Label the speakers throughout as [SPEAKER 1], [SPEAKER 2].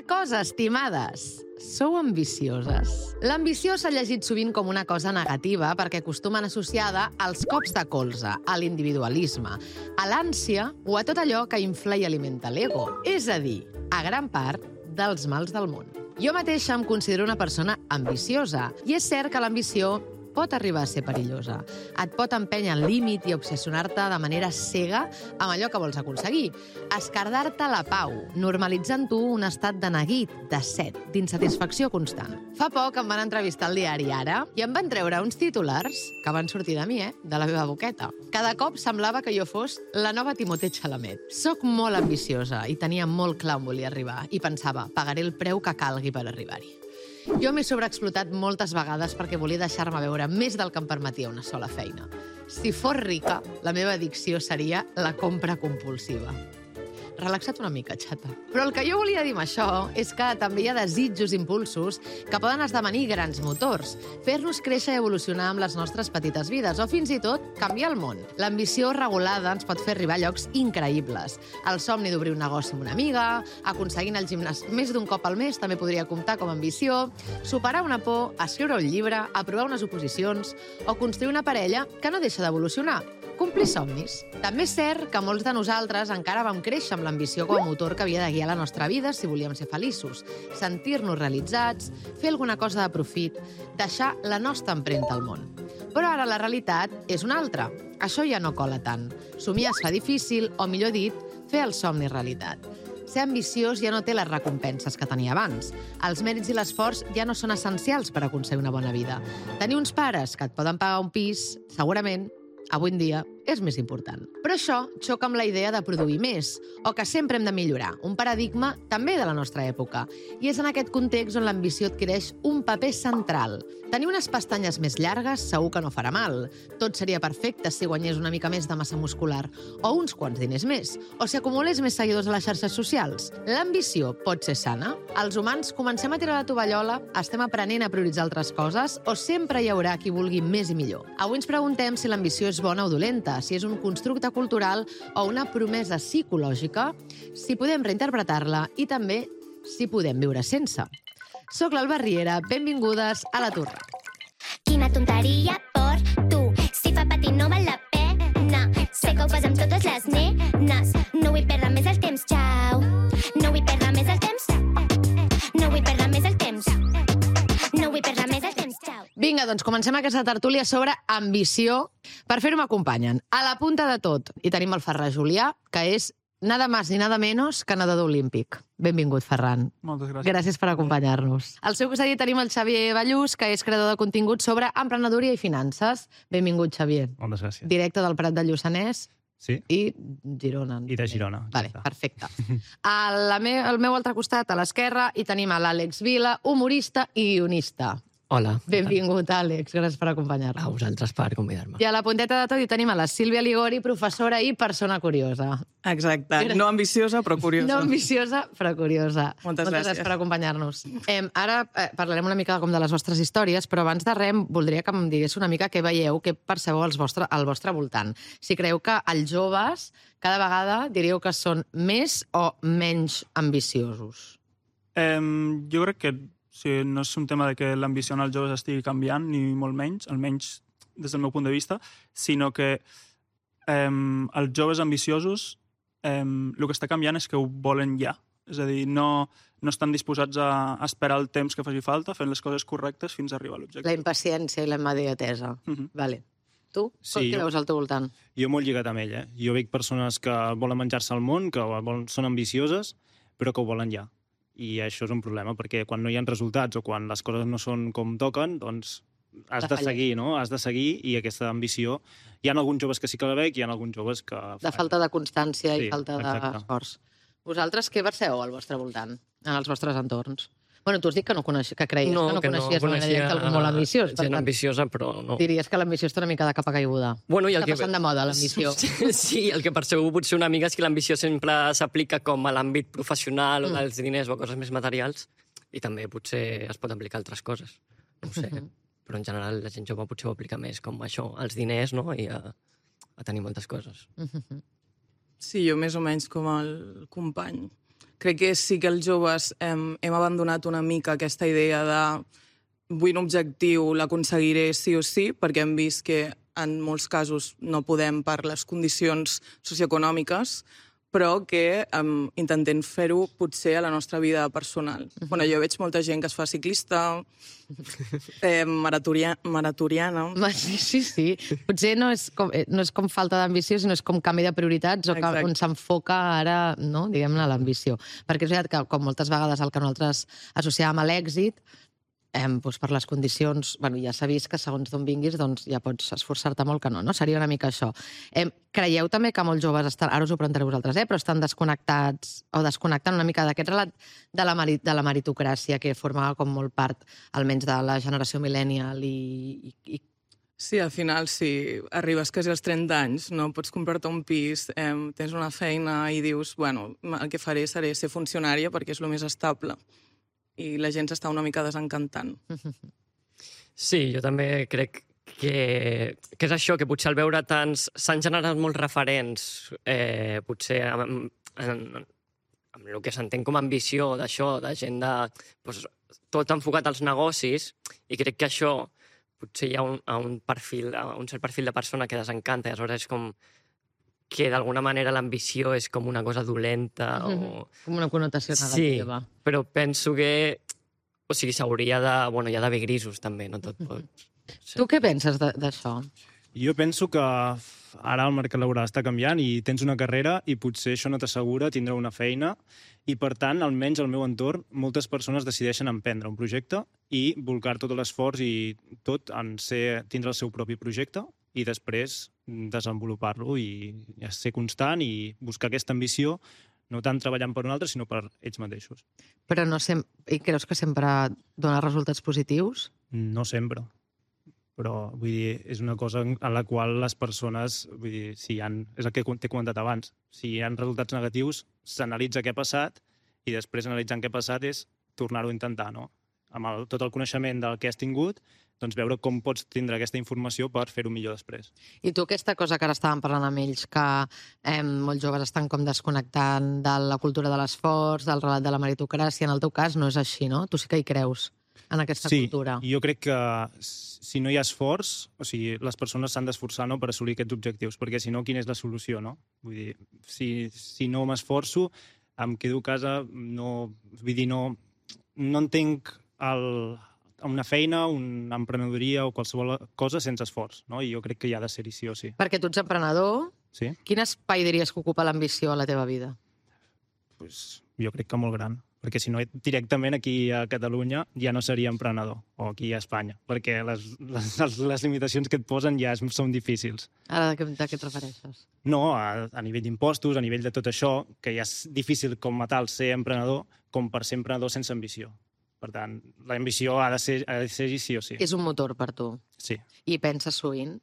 [SPEAKER 1] cosa, estimades. Sou ambicioses? L'ambició s'ha llegit sovint com una cosa negativa perquè acostumen associada als cops de colze, a l'individualisme, a l'ànsia o a tot allò que infla i alimenta l'ego. És a dir, a gran part dels mals del món. Jo mateixa em considero una persona ambiciosa i és cert que l'ambició pot arribar a ser perillosa. Et pot empènyer al límit i obsessionar-te de manera cega amb allò que vols aconseguir. Escardar-te la pau, normalitzant tu un estat de neguit, de set, d'insatisfacció constant. Fa poc em van entrevistar al diari Ara i em van treure uns titulars que van sortir de mi, de la meva boqueta. Cada cop semblava que jo fos la nova Timothée Chalamet. Soc molt ambiciosa i tenia molt clar on volia arribar i pensava, pagaré el preu que calgui per arribar-hi. Jo m'he sobreexplotat moltes vegades perquè volia deixar-me veure més del que em permetia una sola feina. Si fos rica, la meva addicció seria la compra compulsiva. Relaxa't una mica, xata. Però el que jo volia dir amb això és que també hi ha desitjos, impulsos, que poden esdevenir grans motors, fer-nos créixer i evolucionar amb les nostres petites vides, o fins i tot canviar el món. L'ambició regulada ens pot fer arribar a llocs increïbles. El somni d'obrir un negoci amb una amiga, aconseguint el gimnàs més d'un cop al mes també podria comptar com a ambició, superar una por, escriure un llibre, aprovar unes oposicions o construir una parella que no deixa d'evolucionar. Complir somnis. També és cert que molts de nosaltres encara vam créixer amb l'ambició com a motor que havia de guiar la nostra vida si volíem ser feliços, sentir-nos realitzats, fer alguna cosa de profit, deixar la nostra empremta al món. Però ara la realitat és una altra. Això ja no cola tant. Somiar es fa difícil, o millor dit, fer el somni realitat. Ser ambiciós ja no té les recompenses que tenia abans. Els mèrits i l'esforç ja no són essencials per aconseguir una bona vida. Tenir uns pares que et poden pagar un pis, segurament, avui en dia, és més important. Però això xoca amb la idea de produir més, o que sempre hem de millorar, un paradigma també de la nostra època. I és en aquest context on l'ambició adquireix un paper central. Tenir unes pestanyes més llargues segur que no farà mal. Tot seria perfecte si guanyés una mica més de massa muscular, o uns quants diners més, o si acumulés més seguidors a les xarxes socials. L'ambició pot ser sana? Els humans comencem a tirar la tovallola, estem aprenent a prioritzar altres coses, o sempre hi haurà qui vulgui més i millor? Avui ens preguntem si l'ambició és bona o dolenta, si és un constructe cultural o una promesa psicològica, si podem reinterpretar-la i també si podem viure sense. Soc l'Alba Riera, benvingudes a La Turra.
[SPEAKER 2] Quina tonteria per tu, si fa patir no val la pena. Sé que ho fas amb totes les nenes, no vull perdre més el temps, xau. No vull perdre més el temps, no vull perdre més el temps, no vull perdre més el temps, xau.
[SPEAKER 1] Vinga, doncs comencem aquesta tertúlia sobre ambició. Per fer-ho m'acompanyen a la punta de tot. I tenim el Ferran Julià, que és nada más ni nada menos que nedador olímpic. Benvingut, Ferran.
[SPEAKER 3] Moltes gràcies.
[SPEAKER 1] Gràcies per acompanyar-nos. Al seu costat tenim el Xavier Ballús, que és creador de contingut sobre emprenedoria i finances. Benvingut, Xavier.
[SPEAKER 3] Moltes gràcies.
[SPEAKER 1] Directe del Prat del Lluçanès.
[SPEAKER 3] Sí.
[SPEAKER 1] I Girona.
[SPEAKER 3] I de Girona.
[SPEAKER 1] Vale, perfecte. Al meu altre costat, a l'esquerra, hi tenim a l'Àlex Vila, humorista i guionista.
[SPEAKER 4] Hola.
[SPEAKER 1] Benvingut, Àlex. Gràcies per acompanyar-nos.
[SPEAKER 4] A vosaltres per convidar-me.
[SPEAKER 1] I a la punteta de tot hi tenim a la Sílvia Ligori, professora i persona curiosa.
[SPEAKER 5] Exacte. No ambiciosa, però curiosa.
[SPEAKER 1] No ambiciosa, però curiosa.
[SPEAKER 5] Moltes gràcies
[SPEAKER 1] per acompanyar-nos. Ara parlarem una mica com de les vostres històries, però abans de res voldria que em digués una mica què veieu, què percebeu al vostre voltant. Si creieu que els joves cada vegada diríeu que són més o menys ambiciosos.
[SPEAKER 3] Jo crec que no és un tema de que l'ambició en els joves estigui canviant, ni molt menys, almenys des del meu punt de vista, sinó que els joves ambiciosos el que està canviant és que ho volen ja. És a dir, no estan disposats a esperar el temps que faci falta, fent les coses correctes fins a arribar a l'objectiu.
[SPEAKER 1] La impaciència i la immediatesa. Vale. Tu?
[SPEAKER 4] Sí,
[SPEAKER 1] què veus al teu voltant?
[SPEAKER 4] Jo molt lligat amb ell, Jo veig persones que volen menjar-se el món, que són ambicioses, però que ho volen ja. I això és un problema, perquè quan no hi ha resultats o quan les coses no són com toquen, doncs has de seguir, no? Has de seguir, i aquesta ambició... Hi ha alguns joves que sí que la veig, hi ha alguns joves que...
[SPEAKER 1] De falta de constància i
[SPEAKER 4] Sí,
[SPEAKER 1] falta
[SPEAKER 4] exacte.
[SPEAKER 1] d'esforç. Vosaltres què percebeu al vostre voltant, en els vostres entorns? Bueno, tu has dit que que creies que no coneixies una directa algú molt ambiciós. Per
[SPEAKER 6] Gent
[SPEAKER 1] tant,
[SPEAKER 6] ambiciosa, però no.
[SPEAKER 1] diries que l'ambició està una mica de capa caiguda.
[SPEAKER 6] Bueno, i el
[SPEAKER 1] Està passant de moda, l'ambició.
[SPEAKER 6] Sí, el que percebeu potser una mica és que l'ambició sempre s'aplica com a l'àmbit professional o dels diners o coses més materials, i també potser es pot aplicar a altres coses. No ho sé, però en general la gent jove potser ho aplica més com això, als diners, no? I a tenir moltes coses.
[SPEAKER 5] Sí, jo més o menys com el company. crec que sí que els joves hem abandonat una mica aquesta idea de vull un objectiu, l'aconseguiré sí o sí, perquè hem vist que en molts casos no podem per les condicions socioeconòmiques, però que intentem fer-ho potser a la nostra vida personal. Bueno, jo veig molta gent que es fa ciclista, maratoniana...
[SPEAKER 1] Sí. Potser no és com falta d'ambició, sinó és com canvi de prioritats o on s'enfoca ara, no, diguem-ne, l'ambició. Perquè és veritat que, com moltes vegades el que nosaltres associàvem a l'èxit, doncs per les condicions, ja s'ha vist que segons d'on vinguis ja pots esforçar-te molt que no? Seria una mica això. Creieu també que molts joves estan, ara us ho preguntaré vosaltres, però estan desconnectats o desconnectant una mica d'aquest relat de la meritocràcia que formava com molt part, almenys de la generació millennial i...
[SPEAKER 5] Sí, al final, si arribes quasi als 30 anys, no pots comprar-te un pis, tens una feina i dius, bueno, el que faré seré ser funcionària perquè és el més estable. I la gent s'està una mica desencantant.
[SPEAKER 6] Sí, jo també crec que és això, que potser al veure tants... S'han generat molts referents, potser amb el que s'entén com a ambició d'això, de gent de... tot enfocat als negocis, i crec que això potser hi ha un cert perfil de persona que desencanta, i aleshores és com que d'alguna manera l'ambició és com una cosa dolenta o...
[SPEAKER 1] Com una connotació negativa.
[SPEAKER 6] Sí, però penso que... O sigui, s'hauria de... Bueno, hi ha d'haver grisos, també, no tot pot... Sí.
[SPEAKER 1] Tu què penses d'això?
[SPEAKER 4] Jo penso que ara el mercat laboral està canviant i tens una carrera i potser això no t'assegura tindre una feina i, per tant, almenys al meu entorn, moltes persones decideixen emprendre un projecte i volcar tot l'esforç i tot en tindre el seu propi projecte i després desenvolupar-lo i ser constant i buscar aquesta ambició, no tant treballant per un altre, sinó per ells mateixos.
[SPEAKER 1] Però i creus que sempre dona resultats positius?
[SPEAKER 4] No sempre. Però, vull dir, és una cosa en la qual les persones, vull dir, és el que t'he comentat abans, si hi ha resultats negatius, s'analitza què ha passat i després analitzant què ha passat és tornar-ho a intentar, no? Amb tot el coneixement del que has tingut, doncs veure com pots tindre aquesta informació per fer-ho millor després.
[SPEAKER 1] I tu aquesta cosa que ara estàvem parlant amb ells, que molts joves estan com desconnectant de la cultura de l'esforç, del relat de la meritocràcia, en el teu cas no és així, no? Tu sí que hi creus en aquesta cultura.
[SPEAKER 4] Sí, jo crec que si no hi ha esforç, o sigui, les persones s'han d'esforçar, no?, per assolir aquests objectius, perquè si no, quina és la solució, no? Vull dir, si no m'esforço, em quedo a casa, no entenc una feina, una emprenedoria o qualsevol cosa sense esforç, no? I jo crec que hi ha de ser-hi sí o sí.
[SPEAKER 1] Perquè tu ets emprenedor.
[SPEAKER 4] Sí.
[SPEAKER 1] Quin espai diries que ocupa l'ambició a la teva vida?
[SPEAKER 4] Pues, jo crec que molt gran, perquè si no directament aquí a Catalunya ja no seria emprenedor, o aquí a Espanya, perquè les limitacions que et posen ja són difícils.
[SPEAKER 1] Ara de què et refereixes?
[SPEAKER 4] No, a nivell d'impostos, a nivell de tot això, que ja és difícil com a tal ser emprenedor, com per ser emprenedor sense ambició. Per tant, l'ambició ha de ser sí o sí.
[SPEAKER 1] És un motor per tu?
[SPEAKER 4] Sí.
[SPEAKER 1] I penses sovint?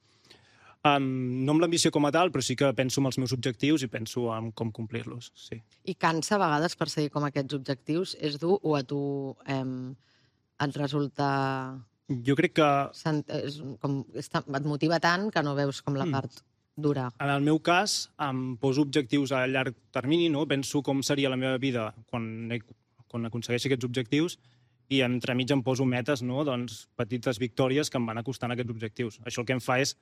[SPEAKER 4] No amb l'ambició com a tal, però sí que penso en els meus objectius i penso en com complir-los, sí.
[SPEAKER 1] I cansa a vegades perseguir com aquests objectius? És dur o a tu et resulta...
[SPEAKER 4] Jo crec que...
[SPEAKER 1] Et motiva tant que no veus com la part dura.
[SPEAKER 4] En el meu cas, em poso objectius a llarg termini, no? Penso com seria la meva vida quan aconsegueixi aquests objectius i entremig em poso metes, no? Doncs petites victòries que em van acostant a aquests objectius. Això el que em fa és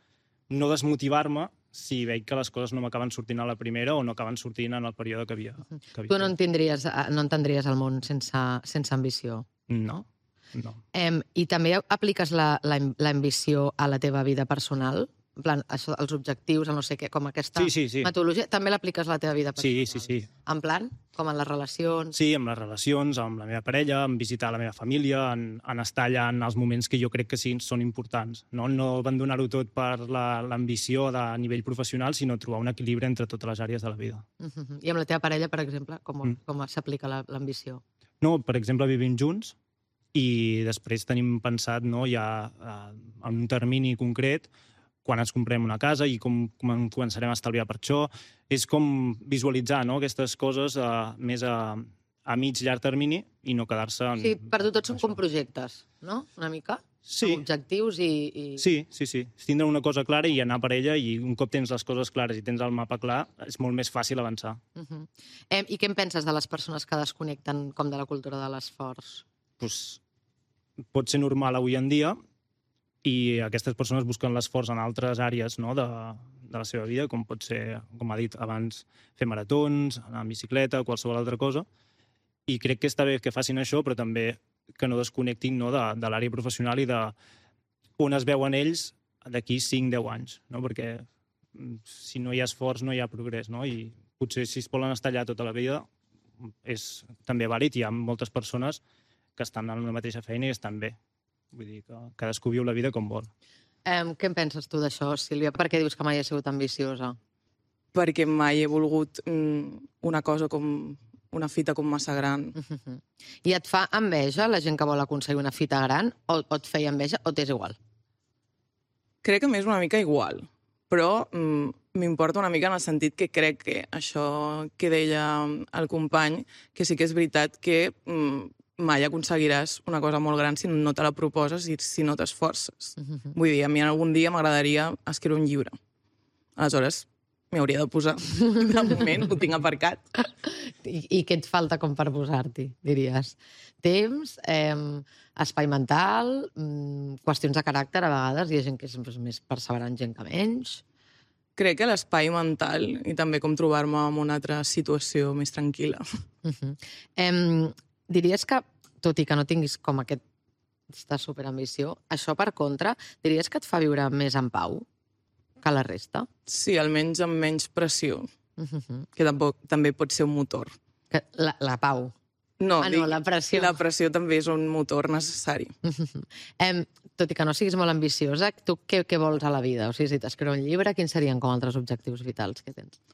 [SPEAKER 4] no desmotivar-me si veig que les coses no m'acaben sortint a la primera o no acaben sortint en el període que havia.
[SPEAKER 1] Tu no entendries el món sense ambició?
[SPEAKER 4] No.
[SPEAKER 1] I també apliques l'ambició a la teva vida personal? En plan, això, els objectius, el no sé què, com aquesta metodologia, també l'apliques a la teva vida personal?
[SPEAKER 4] Sí.
[SPEAKER 1] En plan? Com en les relacions?
[SPEAKER 4] Sí, amb les relacions, amb la meva parella, en visitar la meva família, en estar allà en els moments que jo crec que sí són importants. No abandonar-ho tot per l'ambició a nivell professional, sinó trobar un equilibri entre totes les àrees de la vida.
[SPEAKER 1] I amb la teva parella, per exemple, com s'aplica l'ambició?
[SPEAKER 4] No, per exemple, vivim junts i després tenim pensat ja en un termini concret quan ens comprem una casa i com començarem a estalviar per això. És com visualitzar aquestes coses més a mig llarg termini i no quedar-se en...
[SPEAKER 1] Sí, per tu tots són com projectes, no? Una mica?
[SPEAKER 4] Sí.
[SPEAKER 1] Objectius i...
[SPEAKER 4] Sí. Tindre una cosa clara i anar per ella, i un cop tens les coses clares i tens el mapa clar, és molt més fàcil avançar.
[SPEAKER 1] I què en penses de les persones que desconnecten com de la cultura de l'esforç?
[SPEAKER 4] Pues, pot ser normal avui en dia, i aquestes persones busquen l'esforç en altres àrees, no?, de la seva vida, com pot ser, com ha dit abans, fer maratons, anar en bicicleta, qualsevol altra cosa. I crec que està bé que facin això, però també que no desconnectin, no, de l'àrea professional i de on es veuen ells d'aquí 5-10 anys, no? Perquè si no hi ha esforç no hi ha progrés, no? I potser si es volen estar allà tota la vida és també vàlid. Hi ha moltes persones que estan en la mateixa feina i estan bé. Vull dir que cadascú viu la vida com vol.
[SPEAKER 1] Què en penses tu d'això, Sílvia? Per què dius que mai has sigut ambiciosa?
[SPEAKER 5] Perquè mai he volgut una cosa com una fita com massa gran.
[SPEAKER 1] I et fa enveja la gent que vol aconseguir una fita gran? O et feia enveja o t'és igual?
[SPEAKER 5] Crec que m'és una mica igual, però m'importa una mica en el sentit que crec que això que deia el company, que sí que és veritat que mai aconseguiràs una cosa molt gran si no te la proposes i si no t'esforces. Vull dir, a mi algun dia m'agradaria escriure un llibre. Aleshores, m'hi hauria de posar. De moment ho tinc aparcat.
[SPEAKER 1] I què et falta com per posar-t'hi, diries? Temps, espai mental, qüestions de caràcter, a vegades hi ha gent que és més perseverant, gent que menys.
[SPEAKER 5] Crec que l'espai mental i també com trobar-me en una altra situació més tranquil·la.
[SPEAKER 1] Diries que, tot i que no tinguis com aquesta superambició, això per contra, diries que et fa viure més en pau que la resta?
[SPEAKER 5] Sí, almenys amb menys pressió, que també pot ser un motor.
[SPEAKER 1] La pau.
[SPEAKER 5] No,
[SPEAKER 1] la pressió.
[SPEAKER 5] La pressió també és un motor necessari.
[SPEAKER 1] Tot i que no siguis molt ambiciosa, tu què vols a la vida? O sigui, si t'escriu un llibre, quins serien com altres objectius vitals que tens?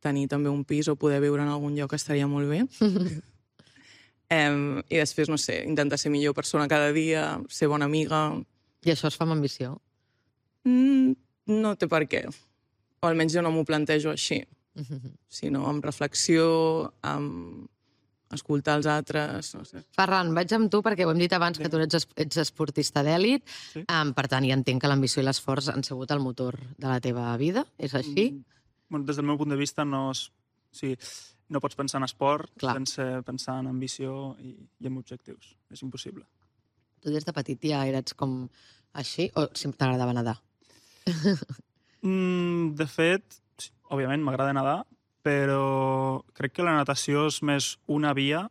[SPEAKER 5] Tenir també un pis o poder viure en algun lloc estaria molt bé. I després, no sé, intentar ser millor persona cada dia, ser bona amiga.
[SPEAKER 1] I això es fa amb ambició?
[SPEAKER 5] No té per què. O almenys jo no m'ho plantejo així. Sinó amb reflexió, amb escoltar els altres, no sé.
[SPEAKER 1] Ferran, vaig amb tu perquè ho hem dit abans que tu ets esportista d'èlit. Per tant, ja entenc que l'ambició i l'esforç han sigut el motor de la teva vida. És així?
[SPEAKER 3] Des del meu punt de vista, no pots pensar en esport sense pensar en ambició i en objectius. És impossible.
[SPEAKER 1] Tu des de petit ja eres com així o sempre t'agradava nedar?
[SPEAKER 3] De fet, òbviament m'agrada nedar, però crec que la natació és més una via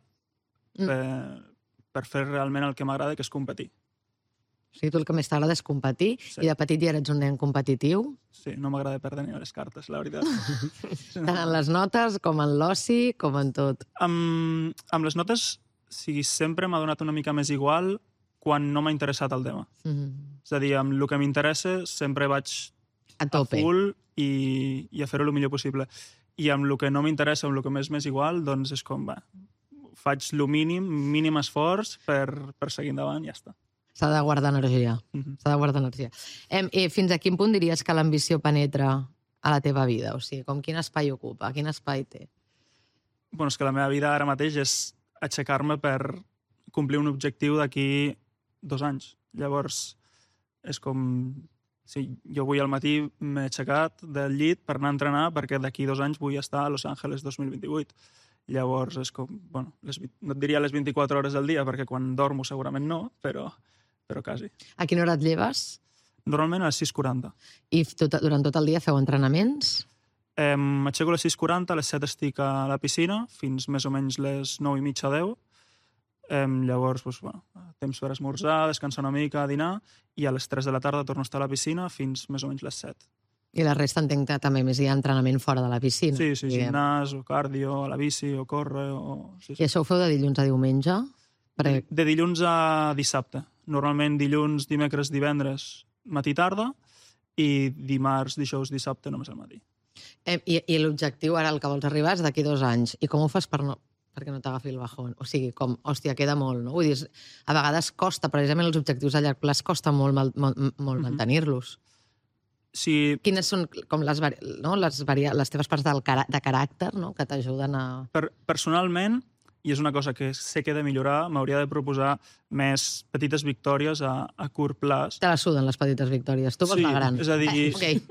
[SPEAKER 3] per fer realment el que m'agrada, que és competir.
[SPEAKER 1] O sigui, tu el que més t'agrada és competir i de petit ja eres un nen competitiu?
[SPEAKER 3] Sí, no m'agrada perdre ni a les cartes, la veritat.
[SPEAKER 1] Tant en les notes com en l'oci, com en tot.
[SPEAKER 3] Amb les notes, sempre m'ha donat una mica més igual quan no m'ha interessat el tema. És a dir, amb el que m'interessa sempre vaig
[SPEAKER 1] a
[SPEAKER 3] full i a fer-ho el millor possible. I amb el que no m'interessa, amb el que m'és igual, doncs és com, faig el mínim esforç per seguir endavant i ja està.
[SPEAKER 1] S'ha de guardar energia. S'ha de guardar energia. Fins a quin punt diries que l'ambició penetra a la teva vida? O sigui, quin espai ocupa? Quin espai té?
[SPEAKER 3] És que la meva vida ara mateix és aixecar-me per complir un objectiu d'aquí 2 anys. Llavors, és com... Jo avui al matí m'he aixecat del llit per anar a entrenar perquè d'aquí 2 anys vull estar a Los Angeles 2028. Llavors, és com... no et diria les 24 hores del dia perquè quan dormo segurament no, però quasi.
[SPEAKER 1] A quina hora et lleves?
[SPEAKER 3] Normalment a les 6:40.
[SPEAKER 1] I durant tot el dia feu entrenaments?
[SPEAKER 3] M'aixeco a les 6:40, a les 7 estic a la piscina, fins més o menys les 9:30, 10. Llavors, temps per esmorzar, descansar una mica, dinar, i a les 3 de la tarda torno a estar a la piscina fins més o menys les 7.
[SPEAKER 1] I la resta entenc que també més hi ha entrenament fora de la piscina.
[SPEAKER 3] Sí, gimnàs, o cardio, a la bici, o córrer...
[SPEAKER 1] I això ho feu de dilluns a diumenge?
[SPEAKER 3] De dilluns a dissabte. Normalment dilluns, dimecres, divendres, matí-tarda, i dimarts, dijous, dissabte, només al matí.
[SPEAKER 1] I l'objectiu ara, el que vols arribar, és d'aquí 2 anys. I com ho fas perquè no t'agafi el bajón? O sigui, hòstia, queda molt, no? Vull dir, a vegades costa, precisament els objectius a llarg plaç costa molt mantenir-los.
[SPEAKER 3] Sí.
[SPEAKER 1] Quines són com les teves parts de caràcter, no?, que t'ajuden a...
[SPEAKER 3] Personalment, i és una cosa que sé que he de millorar, m'hauria de proposar més petites victòries a curt plaç.
[SPEAKER 1] Te la suden les petites victòries. Tu vols la gran.
[SPEAKER 3] És a dir,
[SPEAKER 1] Okay.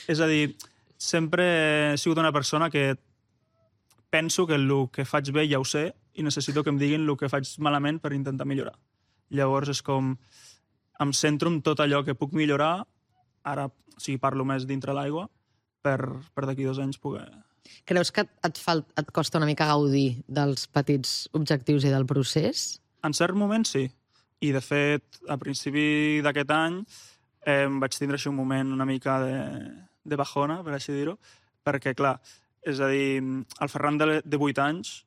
[SPEAKER 3] és a dir, sempre he sigut una persona que penso que el que faig bé ja ho sé i necessito que em diguin el que faig malament per intentar millorar. Llavors és com... Em centro en tot allò que puc millorar, ara parlo més dintre l'aigua, per d'aquí 2 anys poder...
[SPEAKER 1] Creus que et costa una mica gaudir dels petits objectius i del procés?
[SPEAKER 3] En cert moment, sí. I, de fet, a principi d'aquest any vaig tindre així un moment una mica de bajona, per així dir-ho, perquè, clar, és a dir, el Ferran de 8 anys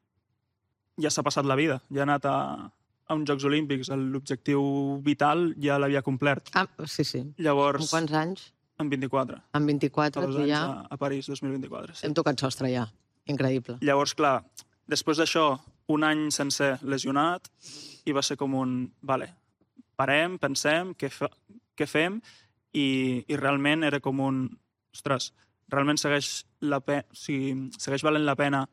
[SPEAKER 3] ja s'ha passat la vida, ja ha anat a uns Jocs Olímpics, l'objectiu vital ja l'havia complert.
[SPEAKER 1] Ah, sí, sí.
[SPEAKER 3] Llavors...
[SPEAKER 1] En quants anys?
[SPEAKER 3] En 24.
[SPEAKER 1] En 24, tu ja...
[SPEAKER 3] A París, 2024, sí.
[SPEAKER 1] Hem tocat sostre ja. Increïble.
[SPEAKER 3] Llavors, clar, després d'això, un any sencer lesionat, i va ser com un... Vale, parem, pensem, què fem, i realment era com un... Ostres, realment segueix valent la pena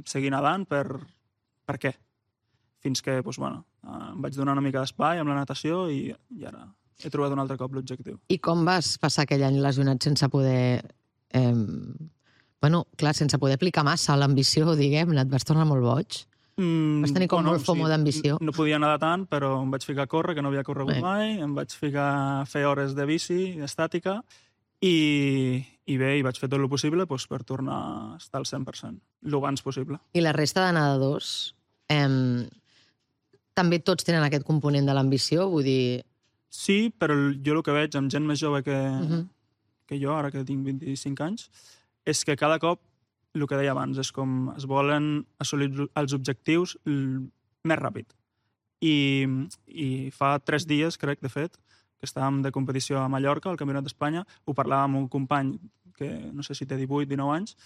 [SPEAKER 3] seguir nedant per què? Fins que, doncs, bueno, em vaig donar una mica d'espai amb la natació i ara he trobat un altre cop l'objectiu.
[SPEAKER 1] I com vas passar aquell any lesionat sense poder... sense poder aplicar massa l'ambició, diguem-ne? Et vas tornar molt boig? Vas tenir com molt fomo d'ambició?
[SPEAKER 3] No podia nedar tant, però em vaig ficar a córrer, que no havia corregut mai, em vaig ficar a fer hores de bici, d'estàtica, i bé, vaig fer tot el possible per tornar a estar al 100%, el abans possible.
[SPEAKER 1] I la resta de nedadors... també tots tenen aquest component de l'ambició? Vull dir...
[SPEAKER 3] Sí, però jo el que veig amb gent més jove que jo, ara que tinc 25 anys, és que cada cop, el que deia abans, és com es volen assolir els objectius més ràpid. I fa 3 dies, crec, de fet, que estàvem de competició a Mallorca, al Campionat d'Espanya, ho parlàvem amb un company que no sé si té 18, 19 anys,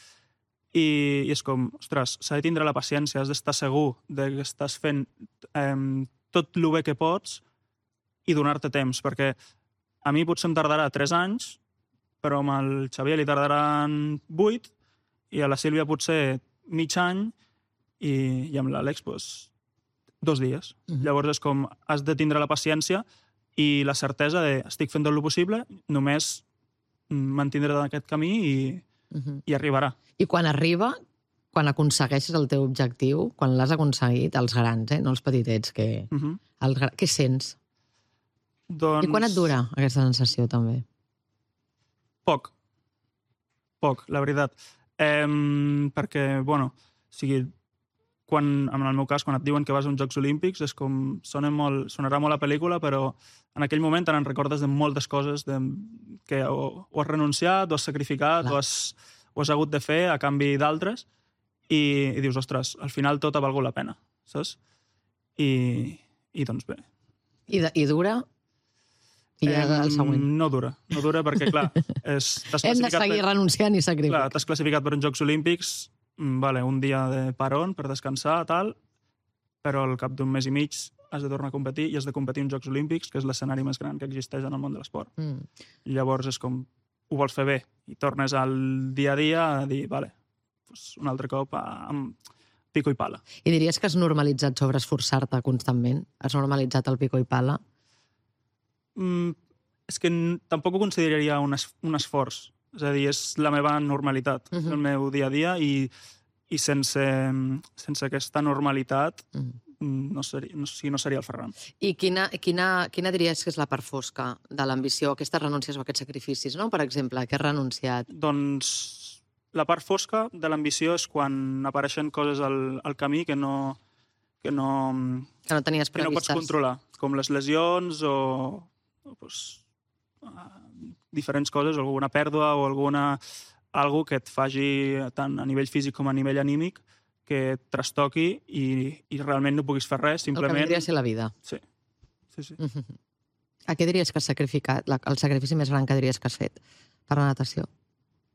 [SPEAKER 3] i és com, ostres, s'ha de tindre la paciència, has d'estar segur que estàs fent tot el bé que pots i donar-te temps, perquè a mi potser em tardarà 3 anys, però amb el Xavier li tardaran 8, i a la Sílvia potser mig any, i amb l'Àlex, 2 dies. Llavors és com, has de tindre la paciència i la certesa de estic fent tot el possible, només mantindré en aquest camí i arribarà.
[SPEAKER 1] I quan arriba, quan aconsegueixes el teu objectiu, quan l'has aconseguit, els grans, no els petitets, què sents?
[SPEAKER 3] Doncs...
[SPEAKER 1] I quan et dura aquesta sensació, també?
[SPEAKER 3] Poc, la veritat. Perquè, bueno, en el meu cas, quan et diuen que vas a uns Jocs Olímpics, és com, sonarà molt a pel·lícula, però en aquell moment te'n recordes de moltes coses que o has renunciat, o has sacrificat, o has hagut de fer a canvi d'altres, i dius, ostres, al final tot ha valgut la pena, saps? I doncs bé.
[SPEAKER 1] I dura? I el següent.
[SPEAKER 3] No dura perquè, clar...
[SPEAKER 1] Hem de seguir renunciant i sacrificant.
[SPEAKER 3] Clar, t'has classificat per uns Jocs Olímpics, un dia de parón per descansar, tal, però al cap d'un mes i mig has de tornar a competir i has de competir en Jocs Olímpics, que és l'escenari més gran que existeix en el món de l'esport. Llavors és com, ho vols fer bé, i tornes al dia a dia a dir, un altre cop amb pico i pala.
[SPEAKER 1] I diries que has normalitzat sobre esforçar-te constantment? Has normalitzat el pico i pala?
[SPEAKER 3] És que tampoc ho consideraria un esforç. És a dir, és la meva normalitat, el meu dia a dia, i sense aquesta normalitat no seria el Ferran.
[SPEAKER 1] I quina diries que és la part fosca de l'ambició, aquestes renúncies o aquests sacrificis, no? Per exemple, què has renunciat?
[SPEAKER 3] Doncs la part fosca de l'ambició és quan apareixen coses al camí que no
[SPEAKER 1] tenies previstes.
[SPEAKER 3] Que no pots controlar, com les lesions o diferents coses, alguna pèrdua o algo que et faci tant a nivell físic com a nivell anímic que et trastoqui i realment no puguis fer res, simplement...
[SPEAKER 1] El que vindria a ser la vida.
[SPEAKER 3] Sí.
[SPEAKER 1] A què diries que has sacrificat? El sacrifici més gran que diries que has fet per la natació?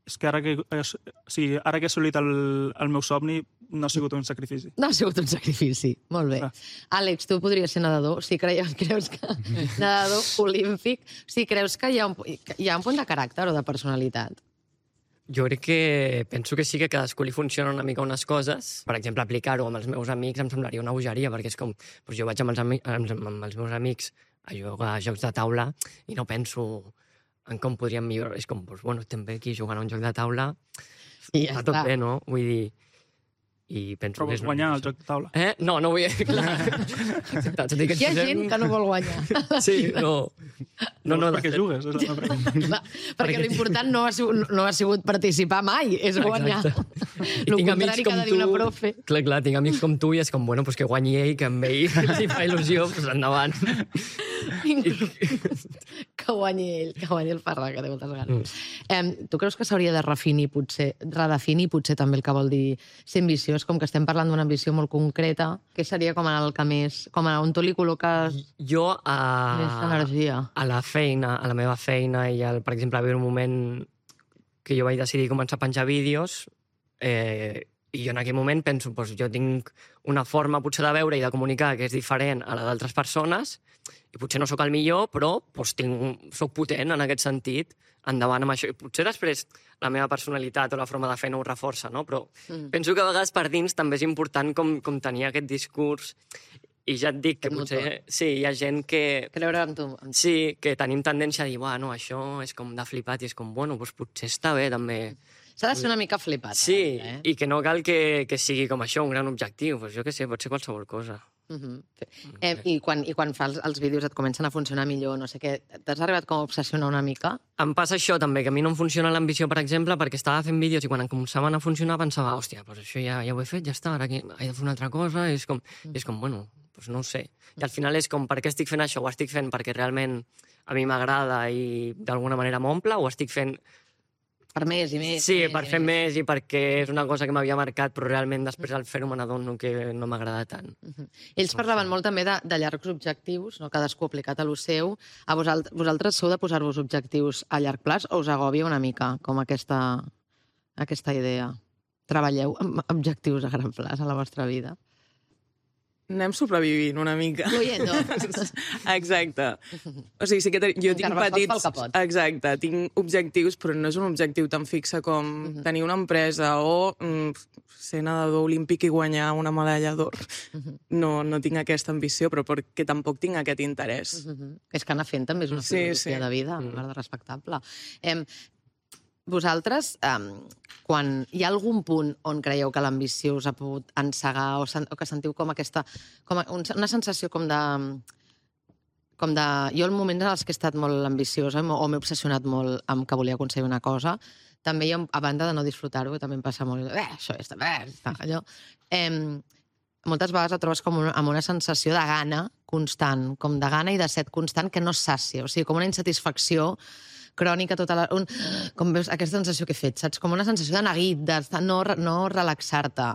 [SPEAKER 3] És que ara que he assolit el meu somni no ha sigut un sacrifici.
[SPEAKER 1] No ha sigut un sacrifici, molt bé. Àlex, tu podries ser nedador? Si creus que... Nedador olímpic. Si creus que hi ha un punt de caràcter o de personalitat?
[SPEAKER 6] Jo crec que penso que sí que a cadascú li funciona una mica unes coses. Per exemple, aplicar-ho amb els meus amics em semblaria una bogeria, perquè és com... Doncs jo vaig amb els meus amics a jugar a jocs de taula i no penso en com podríem millorar. És com, doncs, bueno, estem bé aquí jugant a un joc de taula,
[SPEAKER 1] I ja
[SPEAKER 6] està tot
[SPEAKER 1] està.
[SPEAKER 6] bé, no? Vull dir... I penso
[SPEAKER 3] Però
[SPEAKER 6] que
[SPEAKER 3] vols guanyar el joc de taula.
[SPEAKER 6] No, no vull... Clar. Exacte, tot i que
[SPEAKER 1] Hi ha
[SPEAKER 6] posem-
[SPEAKER 1] gent que no vol guanyar.
[SPEAKER 6] Sí, no. No,
[SPEAKER 3] Llavors,
[SPEAKER 6] de
[SPEAKER 3] per què
[SPEAKER 6] fet-
[SPEAKER 3] jugues? És la meva pregunta.
[SPEAKER 1] Clar, perquè l'important no ha sigut participar mai, és guanyar. El contrari que ha de dir una profe.
[SPEAKER 6] Clar, tinc amics com tu i és com, bueno, pues que guanyi ell, que amb ell li fa il·lusió, pues endavant.
[SPEAKER 1] Que guanyi el Ferran, que té moltes ganes. Tu creus que s'hauria de redefinir potser també el que vol dir ser ambiciós, com que estem parlant d'una ambició molt concreta, que seria com el que més... Com on tu li col·loques
[SPEAKER 6] Jo
[SPEAKER 1] més energia?
[SPEAKER 6] a la feina, a la meva feina i, per exemple, va haver un moment que jo vaig decidir començar a penjar vídeos i jo en aquell moment penso, doncs jo tinc una forma potser de veure i de comunicar que és diferent a la d'altres persones i potser no sóc el millor, però doncs, soc potent en aquest sentit, endavant amb això. I potser després la meva personalitat o la forma de fer no ho reforça, no? Però penso que a vegades per dins també és important com tenir aquest discurs. I ja et dic que
[SPEAKER 1] Aquest
[SPEAKER 6] potser...
[SPEAKER 1] motor.
[SPEAKER 6] Sí, hi ha gent que...
[SPEAKER 1] Creure en tu.
[SPEAKER 6] Sí, que tenim tendència a dir, no, això és com de flipat, i és com, bueno, doncs potser està bé, també.
[SPEAKER 1] S'ha de ser una mica flipat.
[SPEAKER 6] Sí, i que no cal que sigui com això, un gran objectiu. Pues jo què sé, pot ser qualsevol cosa.
[SPEAKER 1] I quan fas els vídeos et comencen a funcionar millor, no sé què, t'has arribat com a obsessionar una mica?
[SPEAKER 6] Em passa això també, que a mi no em funciona l'ambició, per exemple, perquè estava fent vídeos i quan em començaven a funcionar pensava, hòstia, doncs això ja ho he fet, ja està, ara he de fer una altra cosa, i és com bueno, doncs no ho sé. I al final és com, per què estic fent això? Ho estic fent perquè realment a mi m'agrada i d'alguna manera m'omple, o estic fent...
[SPEAKER 1] Per més i més.
[SPEAKER 6] Sí, per fer més i perquè és una cosa que m'havia marcat, però realment després al fer-ho me n'adono que no m'agrada tant.
[SPEAKER 1] Ells parlaven molt també de llargs objectius, no? Cadascú aplicat a lo seu. A vosaltres sou de posar-vos objectius a llarg plaç o us agòbia una mica com aquesta idea? Treballeu amb objectius a gran plaç a la vostra vida?
[SPEAKER 5] Anem sobrevivint una mica.
[SPEAKER 1] Fluyendo.
[SPEAKER 5] Exacte. O sigui, sí que jo tinc
[SPEAKER 1] Carbassol
[SPEAKER 5] petits...
[SPEAKER 1] pel capot.
[SPEAKER 5] Exacte, tinc objectius, però no és un objectiu tan fixe com tenir una empresa o ser nedador olímpic i guanyar una medalla d'or. No tinc aquesta ambició, però perquè tampoc tinc aquest interès.
[SPEAKER 1] És que anar fent també és una
[SPEAKER 5] Sí,
[SPEAKER 1] filosofia
[SPEAKER 5] sí.
[SPEAKER 1] de vida, de respectable. Vosaltres, quan hi ha algun punt on creieu que l'ambició us ha pogut encegar o que sentiu com una sensació com de... Jo, en moments en els que he estat molt ambiciosa o m'he obsessionat molt amb que volia aconseguir una cosa, també hi ha, a banda de no disfrutar-ho, que també em passa molt, això ja està, allò... Moltes vegades et trobes com amb una sensació de gana constant, com de gana i de set constant que no es sàcia, o sigui, com una insatisfacció crònica tota la... Com veus aquesta sensació que he fet, saps? Com una sensació de neguit, de no relaxar-te.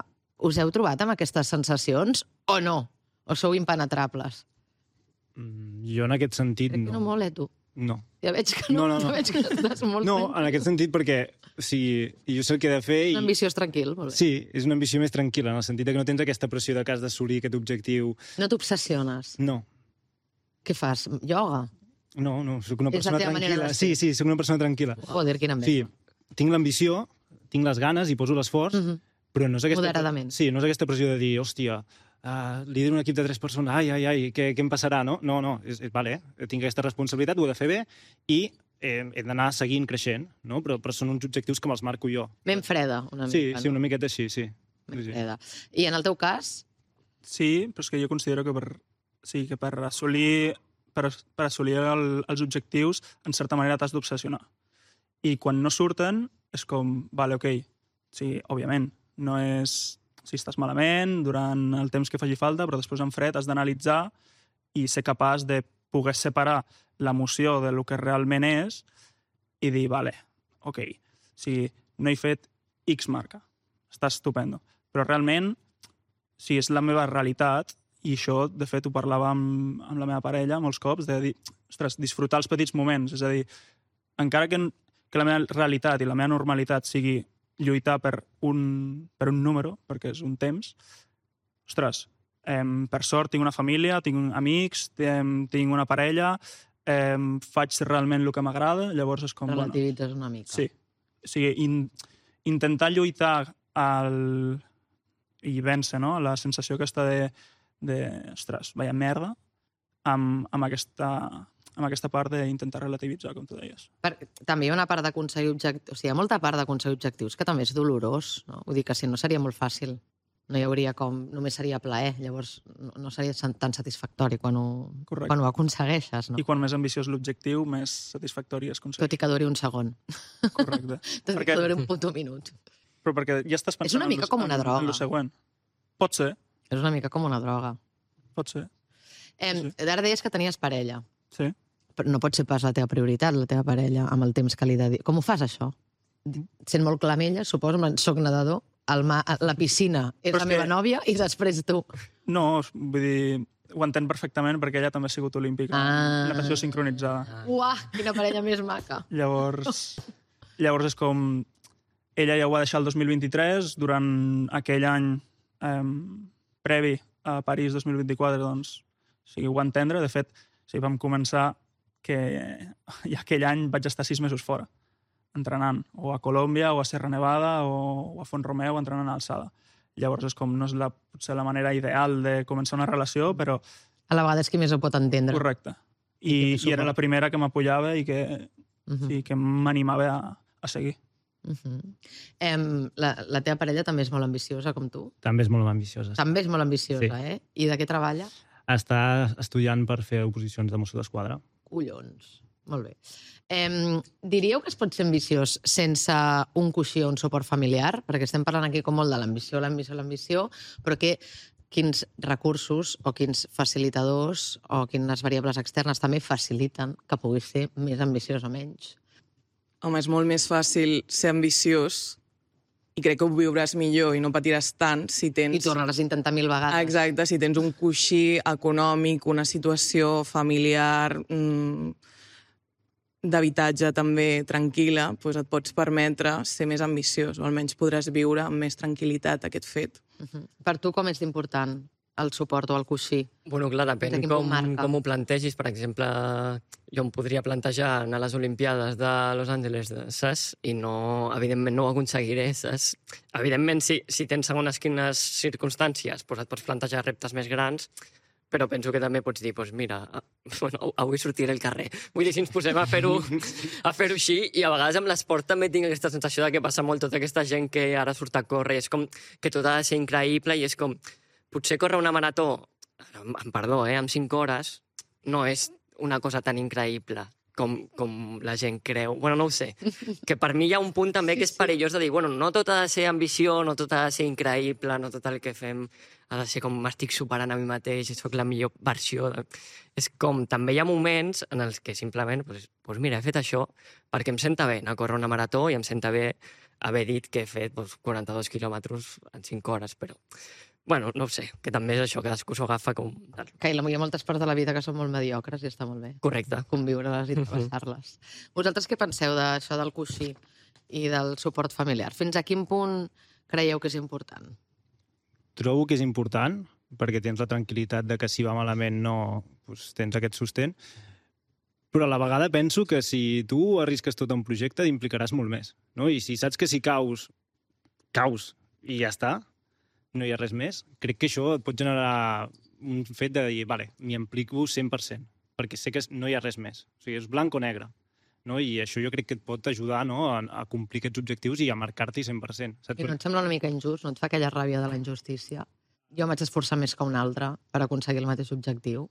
[SPEAKER 1] Us heu trobat amb aquestes sensacions o no? O sou impenetrables?
[SPEAKER 4] Jo en aquest sentit
[SPEAKER 1] Crec que no molt, tu?
[SPEAKER 4] No.
[SPEAKER 1] Ja veig que no,
[SPEAKER 4] No.
[SPEAKER 1] ja veig que estàs molt...
[SPEAKER 4] No, en aquest sentit perquè o sigui, jo sé el que he de fer i...
[SPEAKER 1] Un ambiciós tranquil, molt bé.
[SPEAKER 4] Sí, és una ambició més tranquil·la, en el sentit que no tens aquesta pressió de que has d'assolir aquest objectiu.
[SPEAKER 1] No t'obsessiones.
[SPEAKER 4] No.
[SPEAKER 1] Què fas? Ioga?
[SPEAKER 4] No, sóc una
[SPEAKER 1] És la
[SPEAKER 4] persona
[SPEAKER 1] teva manera
[SPEAKER 4] tranquil·la.
[SPEAKER 1] de ser.
[SPEAKER 4] Sí, sóc una persona tranquil·la.
[SPEAKER 1] Joder, quina
[SPEAKER 4] Sí,
[SPEAKER 1] enveja.
[SPEAKER 4] tinc l'ambició, tinc les ganes i poso l'esforç, però no és aquesta...
[SPEAKER 1] Moderadament.
[SPEAKER 4] Sí, no és aquesta pressió de dir, hòstia, lidero un equip de 3 persones, ai, què em passarà, no? No, vale, tinc aquesta responsabilitat, ho he de fer bé i he d'anar seguint creixent, no? Però són uns objectius que me'ls marco jo.
[SPEAKER 1] Ben freda, una mica.
[SPEAKER 4] Sí, una miqueta així, sí.
[SPEAKER 1] Ben freda. I en el teu cas?
[SPEAKER 3] Sí, però és que jo considero que per assolir els objectius, en certa manera t'has d'obsessionar. I quan no surten, és com, vale, ok, sí, òbviament, no és si estàs malament, durant el temps que faci falta, però després en fred has d'analitzar i ser capaç de poder separar l'emoció de lo que realment és i dir, vale, ok, si no he fet X marca, està estupendo, però realment, si és la meva realitat, i això, de fet, ho parlava amb la meva parella molts cops, de dir, ostres, disfrutar els petits moments, és a dir, encara que la meva realitat i la meva normalitat sigui lluitar per un número, perquè és un temps, ostres, per sort tinc una família, tinc amics, tinc una parella, faig realment el que m'agrada, llavors és com...
[SPEAKER 1] Relativitzes una mica.
[SPEAKER 3] Sí, O sigui, intentar lluitar i vèncer, no? La sensació aquesta ostres, vaya merda, amb aquesta part d'intentar relativitzar, com tu deies.
[SPEAKER 1] També hi ha una part d'aconseguir objectius... O sigui, hi ha molta part d'aconseguir objectius que també és dolorós, no? Vull dir que si no seria molt fàcil. No hi hauria només seria plaer, llavors no seria tan satisfactori quan ho aconsegueixes, no?
[SPEAKER 3] I quan més ambiciós l'objectiu, més satisfactori és aconseguir.
[SPEAKER 1] Tot i que duri un segon.
[SPEAKER 3] Correcte.
[SPEAKER 1] Tot i que duri un puto minut.
[SPEAKER 3] Però perquè ja estàs pensant
[SPEAKER 1] és una mica com una droga.
[SPEAKER 3] En el següent. Pot ser.
[SPEAKER 1] És una mica com una droga.
[SPEAKER 3] Pot ser.
[SPEAKER 1] Ara deies que tenies parella.
[SPEAKER 3] Sí.
[SPEAKER 1] Però no pot ser pas la teva prioritat, la teva parella, amb el temps que li dedica. Com ho fas, això? Sent molt clamella, suposo, soc nedador, la piscina és la meva nòvia i després tu.
[SPEAKER 3] No, vull dir, ho entenc perfectament perquè ella també ha sigut olímpica. Natació sincronitzada.
[SPEAKER 1] Uah, quina parella més maca.
[SPEAKER 3] Llavors és com... Ella ja ho va deixar el 2023, durant aquell any previ a París 2024, doncs, o sigui, ho va entendre. De fet, vam començar que ja aquell any vaig estar 6 mesos fora, entrenant, o a Colòmbia, o a Serra Nevada, o a Font-romeu, entrenant a alçada. Llavors és com, no és potser la manera ideal de començar una relació, però...
[SPEAKER 1] A la vegada és qui més ho pot entendre.
[SPEAKER 3] Correcte. I era la primera que m'apoyava i que m'animava a seguir.
[SPEAKER 1] La teva parella també és molt ambiciosa, com tu?
[SPEAKER 4] També és molt ambiciosa.
[SPEAKER 1] També és molt ambiciosa,
[SPEAKER 4] sí.
[SPEAKER 1] I de què treballa?
[SPEAKER 4] Està estudiant per fer oposicions de Mosso d'Esquadra.
[SPEAKER 1] Collons. Molt bé. Diríeu que es pot ser ambiciós sense un coixí o un suport familiar? Perquè estem parlant aquí com molt de l'ambició, però quins recursos o quins facilitadors o quines variables externes també faciliten que puguis ser més ambiciós o menys?
[SPEAKER 5] Home, és molt més fàcil ser ambiciós i crec que ho viuràs millor i no patiràs tant si tens...
[SPEAKER 1] I tornaràs a intentar 1000 vegades.
[SPEAKER 5] Exacte, si tens un coixí econòmic, una situació familiar, d'habitatge també tranquil·la, doncs et pots permetre ser més ambiciós, o almenys podràs viure amb més tranquil·litat aquest fet.
[SPEAKER 1] Per tu com és d'important el suport o el coixí?
[SPEAKER 6] Bueno, clar, depèn com ho plantegis. Per exemple, jo em podria plantejar anar a les Olimpiades de Los Angeles, saps? I no, evidentment no ho aconseguiré, saps? Evidentment, si tens segons quines circumstàncies, doncs et pots plantejar reptes més grans, però penso que també pots dir, doncs mira, avui sortiré al carrer. Vull dir, si ens posem a fer-ho així, i a vegades amb l'esport també tinc aquesta sensació de que passa molt tota aquesta gent que ara surt a córrer, i és com que tot ha de ser increïble, i és com, potser córrer una marató, amb perdó, amb 5 hores, no és una cosa tan increïble com la gent creu. Bueno, no ho sé. Que per mi hi ha un punt també que és perillós de dir, bueno, no tot ha de ser ambició, no tot ha de ser increïble, no tot el que fem ha de ser com m'estic superant a mi mateix i soc la millor versió. És com, també hi ha moments en els que simplement, doncs mira, he fet això perquè em senta bé anar a córrer una marató i em senta bé haver dit que he fet 42 quilòmetres en 5 hores, però... Bueno, no ho sé, que també és això, cadascú s'ho agafa com...
[SPEAKER 1] Que hi ha moltes parts de la vida que són molt mediocres i està molt bé.
[SPEAKER 6] Correcte.
[SPEAKER 1] Conviure-les i travessar-les. Vosaltres què penseu d'això del coixí i del suport familiar? Fins a quin punt creieu que és important?
[SPEAKER 4] Trobo que és important, perquè tens la tranquil·litat de que si va malament doncs tens aquest sostén, però a la vegada penso que si tu arrisques tot un projecte t'implicaràs molt més, no? I si saps que si caus i ja està, no hi ha res més, crec que això et pot generar un fet de dir, vale, m'hi implico 100%, perquè sé que no hi ha res més. O sigui, és blanc o negre. No? I això jo crec que et pot ajudar, no?, a complir aquests objectius i a marcar-t'hi 100%. Saps?
[SPEAKER 1] I no et sembla una mica injust? No et fa aquella ràbia de la injustícia? Jo m'haig d'esforçar més que un altre per aconseguir el mateix objectiu?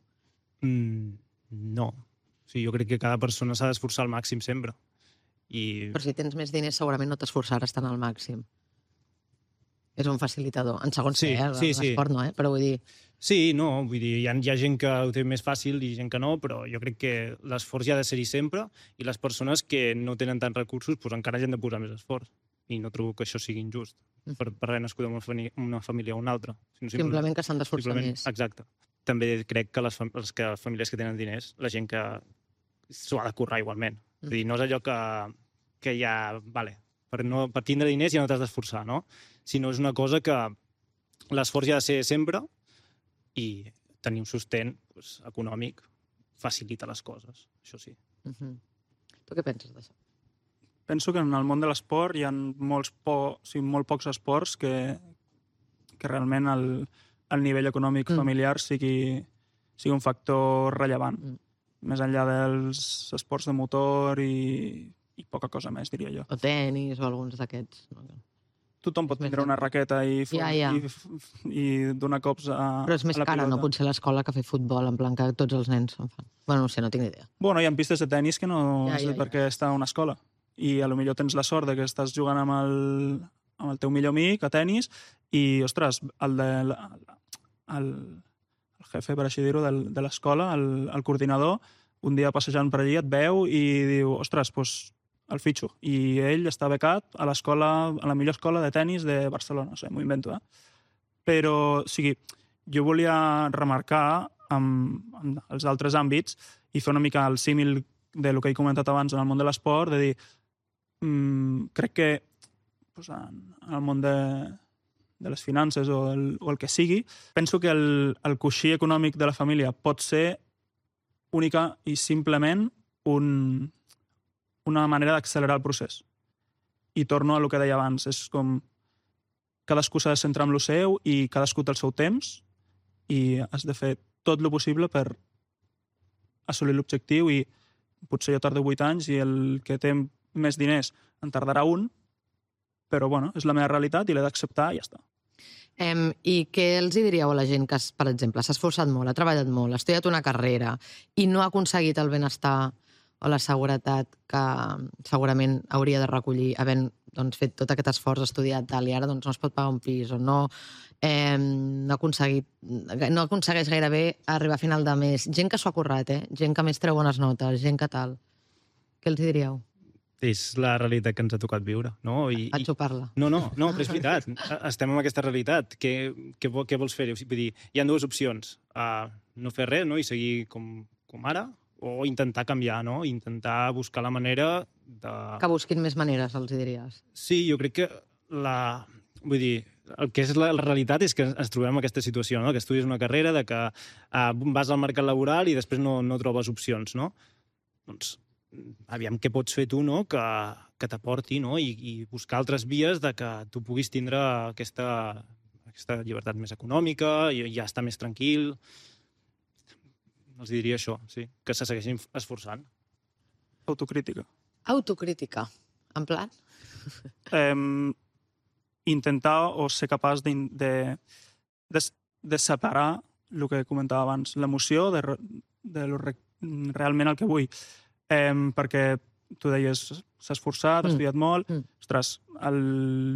[SPEAKER 4] No. O sigui, jo crec que cada persona s'ha d'esforçar al màxim sempre.
[SPEAKER 1] Però si tens més diners segurament no t'esforçaràs tant al màxim. És un facilitador. En segons l'esport no, però vull dir...
[SPEAKER 4] Sí, no, vull dir, hi ha gent que ho té més fàcil i gent que no, però jo crec que l'esforç hi ha de ser-hi sempre i les persones que no tenen tants recursos doncs encara hi han de posar més esforç. I no trobo que això sigui injust per haver nascut en una família o una altra.
[SPEAKER 1] Simplement que s'han d'esforçar més.
[SPEAKER 4] Exacte. També crec que les famílies que tenen diners, la gent que s'ho ha de currar igualment. Vull dir, no és allò que ja... Vale, per tindre diners ja no t'has d'esforçar, no? Sinó és una cosa que l'esforç hi ha de ser sempre i tenir un sostén econòmic facilita les coses, això sí.
[SPEAKER 1] Tu què penses d'això?
[SPEAKER 3] penso que en el món de l'esport hi ha molt pocs esports que realment el nivell econòmic familiar sigui un factor rellevant. Més enllà dels esports de motor i poca cosa més, diria jo.
[SPEAKER 1] O tenis o alguns d'aquests.
[SPEAKER 3] Tothom pot tindre una raqueta i donar cops a la pilota.
[SPEAKER 1] Però és més cara, no? Potser l'escola que fer futbol, en plan que tots els nens en fan. Bueno, no sé, no tinc ni idea.
[SPEAKER 3] Bueno, hi ha pistes de tenis que no sé per què està a una escola. I potser tens la sort de que estàs jugant amb el teu millor amic a tenis i, ostres, el jefe, per així dir-ho, de l'escola, el coordinador, un dia passejant per allí et veu i diu, ostres, doncs el fitxo. I ell està becat a la millor escola de tenis de Barcelona. No sé, m'ho invento, Però, o sigui, jo volia remarcar amb els altres àmbits i fer una mica el símil del que he comentat abans en el món de l'esport, de dir, crec que en el món de les finances o el que sigui, penso que el coixí econòmic de la família pot ser única i simplement una manera d'accelerar el procés. I torno a el que deia abans, és com cadascú s'ha de centrar en el seu i cadascú té el seu temps i has de fer tot el possible per assolir l'objectiu i potser jo tardo 8 anys i el que té més diners en tardarà un, però bueno, és la meva realitat i l'he d'acceptar i ja està.
[SPEAKER 1] I què els diríeu a la gent que, per exemple, s'ha esforçat molt, ha treballat molt, ha estudiat una carrera i no ha aconseguit el benestar o la seguretat que segurament hauria de recollir havent fet tot aquest esforç, estudiat tal, i ara no es pot pagar un pis o no aconsegueix gairebé arribar a final de mes. Gent que s'ho ha currat, gent que més treu bones notes, gent que tal. Què els diríeu?
[SPEAKER 4] És la realitat que ens ha tocat viure, no?
[SPEAKER 1] A xupar-la.
[SPEAKER 4] No, però és veritat. Estem en aquesta realitat. Què vols fer? Vull dir, hi ha dues opcions. No fer res, no? I seguir com ara, o intentar canviar, no? Intentar buscar la manera de...
[SPEAKER 1] Que busquin més maneres, els diries.
[SPEAKER 4] Sí, jo crec que vull dir, el que és la realitat és que ens trobem en aquesta situació, no? Que estudies una carrera, de que vas al mercat laboral i després no trobes opcions, no? Doncs aviam què pots fer tu, no?, que t'aporti, no?, i buscar altres vies de que tu puguis tindre aquesta llibertat més econòmica i ja estar més tranquil. Els diria això, sí, que se segueixin esforçant.
[SPEAKER 3] Autocrítica.
[SPEAKER 1] Autocrítica, en plan?
[SPEAKER 3] Intentar o ser capaç de separar el que comentava abans, l'emoció de realment el que vull. Perquè tu deies, s'ha esforçat, ha estudiat molt. Ostres, el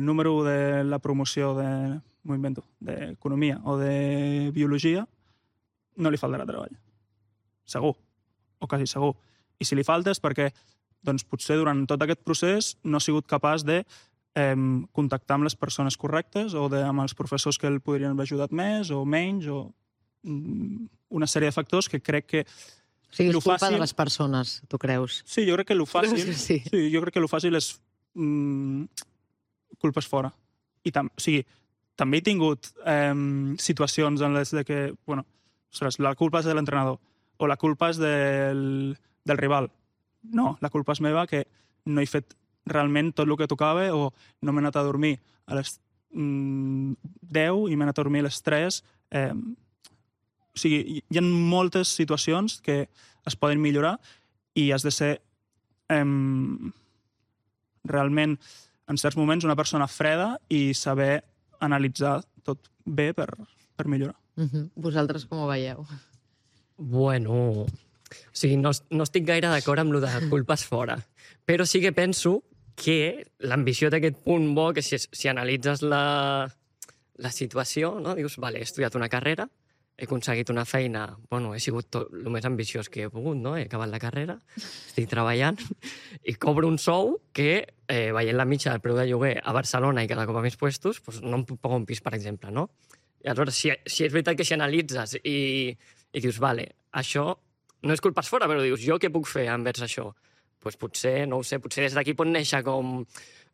[SPEAKER 3] número de la promoció m'ho invento, d'economia o de biologia no li faltarà treball. Segur, o quasi segur. I si li falta és perquè doncs, potser durant tot aquest procés no ha sigut capaç de contactar amb les persones correctes o amb els professors que el podrien haver ajudat més o menys, o una sèrie de factors que crec que
[SPEAKER 1] o sigui, és culpa de les persones, tu creus?
[SPEAKER 3] Sí, jo crec que el fàcil...
[SPEAKER 1] Sí,
[SPEAKER 3] jo crec que el fàcil és culpes fora. I també he tingut situacions en les que, bueno, ostres, la culpa és de l'entrenador o la culpa és del rival. No, la culpa és meva que no he fet realment tot el que tocava o no m'he anat a dormir a les 10 i m'he anat a dormir a les 3. O sigui, hi ha moltes situacions que es poden millorar i has de ser realment, en certs moments, una persona freda i saber analitzar tot bé per millorar.
[SPEAKER 1] Vosaltres com ho veieu?
[SPEAKER 6] Bueno, o sigui, no estic gaire d'acord amb lo de culpes fora, però sí que penso que l'ambició d'aquest punt bo, que si analitzes la situació, no? Dius, vale, he estudiat una carrera, he aconseguit una feina, bueno, he sigut tot el més ambiciós que he pogut, no? He acabat la carrera, estic treballant i cobro un sou que, veient la mitja del preu de lloguer a Barcelona i cada cop a més puestos, doncs no em puc pagar un pis, per exemple, no? I aleshores, si és veritat que si analitzes i dius, vale, això no és culpes fora, però dius, jo què puc fer envers això? Doncs potser, no ho sé, potser des d'aquí pot néixer com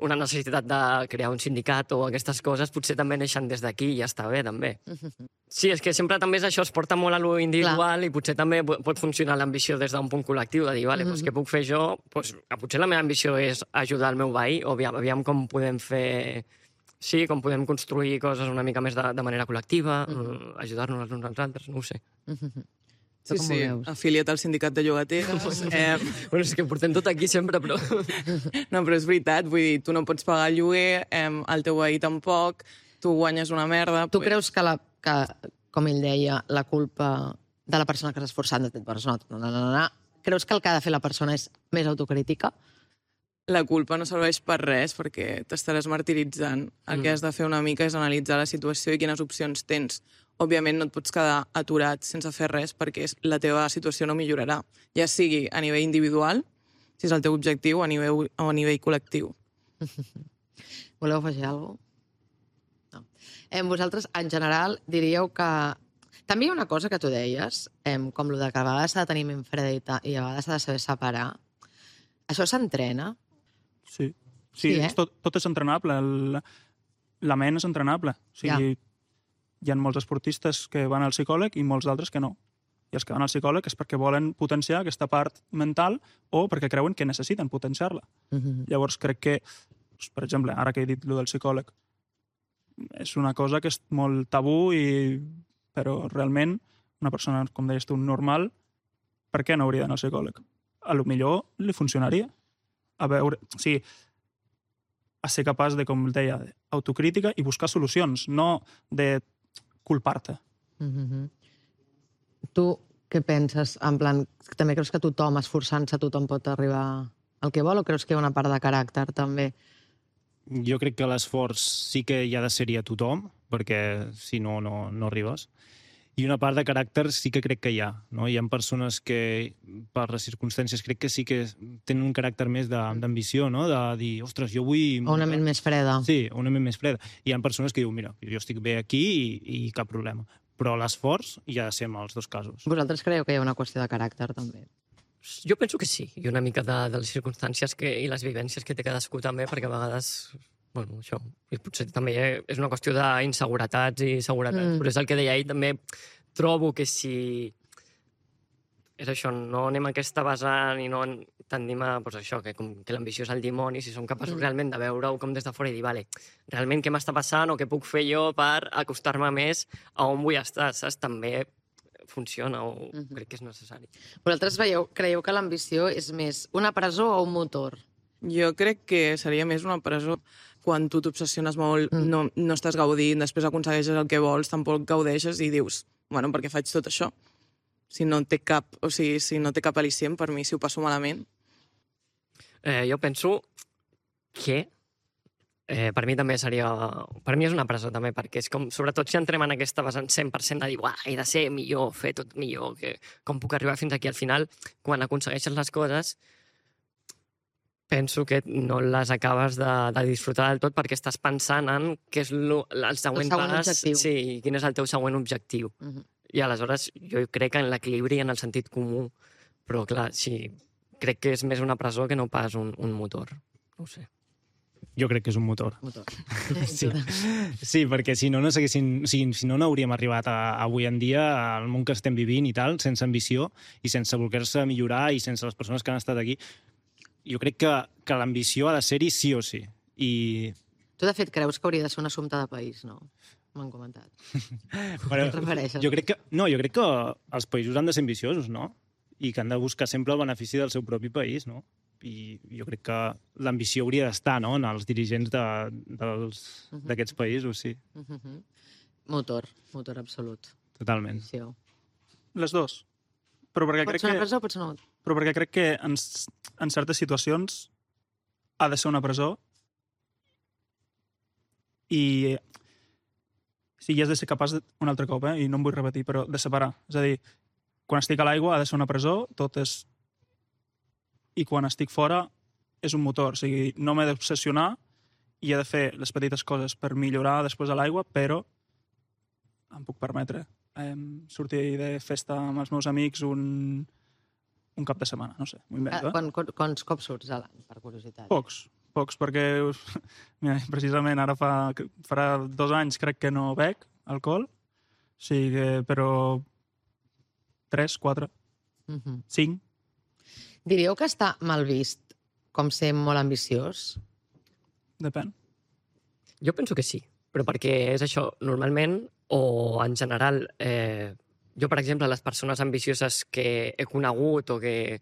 [SPEAKER 6] una necessitat de crear un sindicat o aquestes coses, potser també neixen des d'aquí i ja està bé, també. Sí, és que sempre també és això, es porta molt a lo individual i potser també pot funcionar l'ambició des d'un punt col·lectiu, de dir, vale, doncs què puc fer jo? Doncs, potser la meva ambició és ajudar el meu veí, o aviam com podem fer... Sí, com podem construir coses una mica més de manera col·lectiva, ajudar-nos els uns als altres, no ho sé.
[SPEAKER 5] Sí, sí, afiliat al sindicat de llogateres.
[SPEAKER 6] Bueno, és que portem tot aquí sempre, però...
[SPEAKER 5] No, però és veritat, vull dir, tu no pots pagar el lloguer, el teu veí tampoc, tu guanyes una merda...
[SPEAKER 1] Tu creus que, com ell deia, la culpa de la persona que s'ha esforçat de persona... Creus que el que ha de fer la persona és més autocrítica?
[SPEAKER 5] La culpa no serveix per res perquè t'estaràs martiritzant. El que has de fer una mica és analitzar la situació i quines opcions tens. Òbviament no et pots quedar aturat sense fer res perquè la teva situació no millorarà. Ja sigui a nivell individual, si és el teu objectiu, o a nivell col·lectiu.
[SPEAKER 1] Voleu afegir alguna cosa? No. Vosaltres, en general, diríeu que... També hi ha una cosa que tu deies, com el de que a vegades s'ha de tenir ment freda i a vegades s'ha de saber separar. Això s'entrena?
[SPEAKER 3] Sí, tot és entrenable. La ment és entrenable. O sigui, hi ha molts esportistes que van al psicòleg i molts d'altres que no. I els que van al psicòleg és perquè volen potenciar aquesta part mental o perquè creuen que necessiten potenciar-la. Llavors crec que, per exemple, ara que he dit allò del psicòleg, és una cosa que és molt tabú, però realment una persona, com deies tu, normal, per què no hauria d'anar al psicòleg? A lo millor li funcionaria. A veure, sí, a ser capaç de, com deia, autocrítica i buscar solucions, no de culpar-te.
[SPEAKER 1] Tu què penses? En plan, també creus que tothom, esforçant-se, tothom pot arribar al que vol, o creus que hi ha una part de caràcter, també?
[SPEAKER 4] Jo crec que l'esforç sí que hi ha de ser-hi a tothom, perquè si no, no arribes. I una part de caràcter sí que crec que hi ha. No? Hi ha persones que, per les circumstàncies, crec que sí que tenen un caràcter més d'ambició, no? De dir, ostres, jo vull...
[SPEAKER 1] O una ment més freda.
[SPEAKER 4] Sí, una ment més freda. Hi ha persones que diuen, mira, jo estic bé aquí i cap problema. Però l'esforç hi ha de ser en els dos casos.
[SPEAKER 1] Vosaltres creieu que hi ha una qüestió de caràcter, també?
[SPEAKER 6] Jo penso que sí, i una mica de les circumstàncies i les vivències que té cadascú també, perquè a vegades... Bueno, això, i potser també és una qüestió d'inseguretats i seguretats, però és el que deia ell, també trobo que si... És això, no anem a aquesta vessant i no tendim a... Doncs això, que l'ambició és el dimoni, si som capaços realment de veure-ho com des de fora i dir, vale, realment què m'està passant o què puc fer jo per acostar-me més a on vull estar, saps? També funciona o crec que és necessari.
[SPEAKER 1] Vosaltres creieu que l'ambició és més una presó o un motor?
[SPEAKER 5] Jo crec que seria més una presó. Quan tu t'obsessiones molt, no estàs gaudint, després aconsegueixes el que vols, tampoc gaudeixes i dius, bueno, per què faig tot això? Si no té cap al·licient, per mi, si ho passo malament.
[SPEAKER 6] Jo penso que per mi també seria... Per mi és una presó, també, perquè és com... Sobretot si entrem en aquesta vessant 100% de dir, he de ser millor, fer tot millor, com puc arribar fins aquí? Al final, quan aconsegueixes les coses, penso que no les acabes de disfrutar del tot perquè estàs pensant en què és el següent pas. Sí, quin és el teu següent objectiu. I aleshores jo crec en l'equilibri, en el sentit comú, però clar, sí, crec que és més una presó que no pas un motor. No ho sé.
[SPEAKER 4] Jo crec que és un motor. Sí, perquè si no, no hauríem arribat avui en dia al món que estem vivint i tal, sense ambició i sense voler-se millorar i sense les persones que han estat aquí. Jo crec que l'ambició ha de ser-hi sí o sí.
[SPEAKER 1] Tu, de fet, creus que hauria de ser un assumpte de país, no? M'han comentat.
[SPEAKER 4] Però, jo crec que els països han de ser ambiciosos, no? I que han de buscar sempre el benefici del seu propi país, no? I jo crec que l'ambició hauria d'estar, no?, en els dirigents d'aquests països, sí.
[SPEAKER 1] Motor absolut.
[SPEAKER 4] Totalment.
[SPEAKER 3] Les dues. Però perquè
[SPEAKER 1] pot ser una presó o pot ser una motor?
[SPEAKER 3] Però perquè crec que en certes situacions ha de ser una presó i sí, has de ser capaç, un altre cop, i no em vull repetir, però de separar. És a dir, quan estic a l'aigua ha de ser una presó, tot és... I quan estic fora és un motor. O sigui, no m'he d'obsessionar i he de fer les petites coses per millorar després a l'aigua, però em puc permetre sortir de festa amb els meus amics un cap de setmana, no sé, m'ho invento.
[SPEAKER 1] Quants cops surts a l'any, per curiositat?
[SPEAKER 3] Pocs. Pocs, perquè mira, precisament ara farà 2 anys crec que no bec alcohol, però 3, 4, 5.
[SPEAKER 1] Diríeu que està mal vist com ser molt ambiciós?
[SPEAKER 3] Depèn.
[SPEAKER 6] Jo penso que sí, però perquè és això, normalment, o en general, jo, per exemple, les persones ambicioses que he conegut o que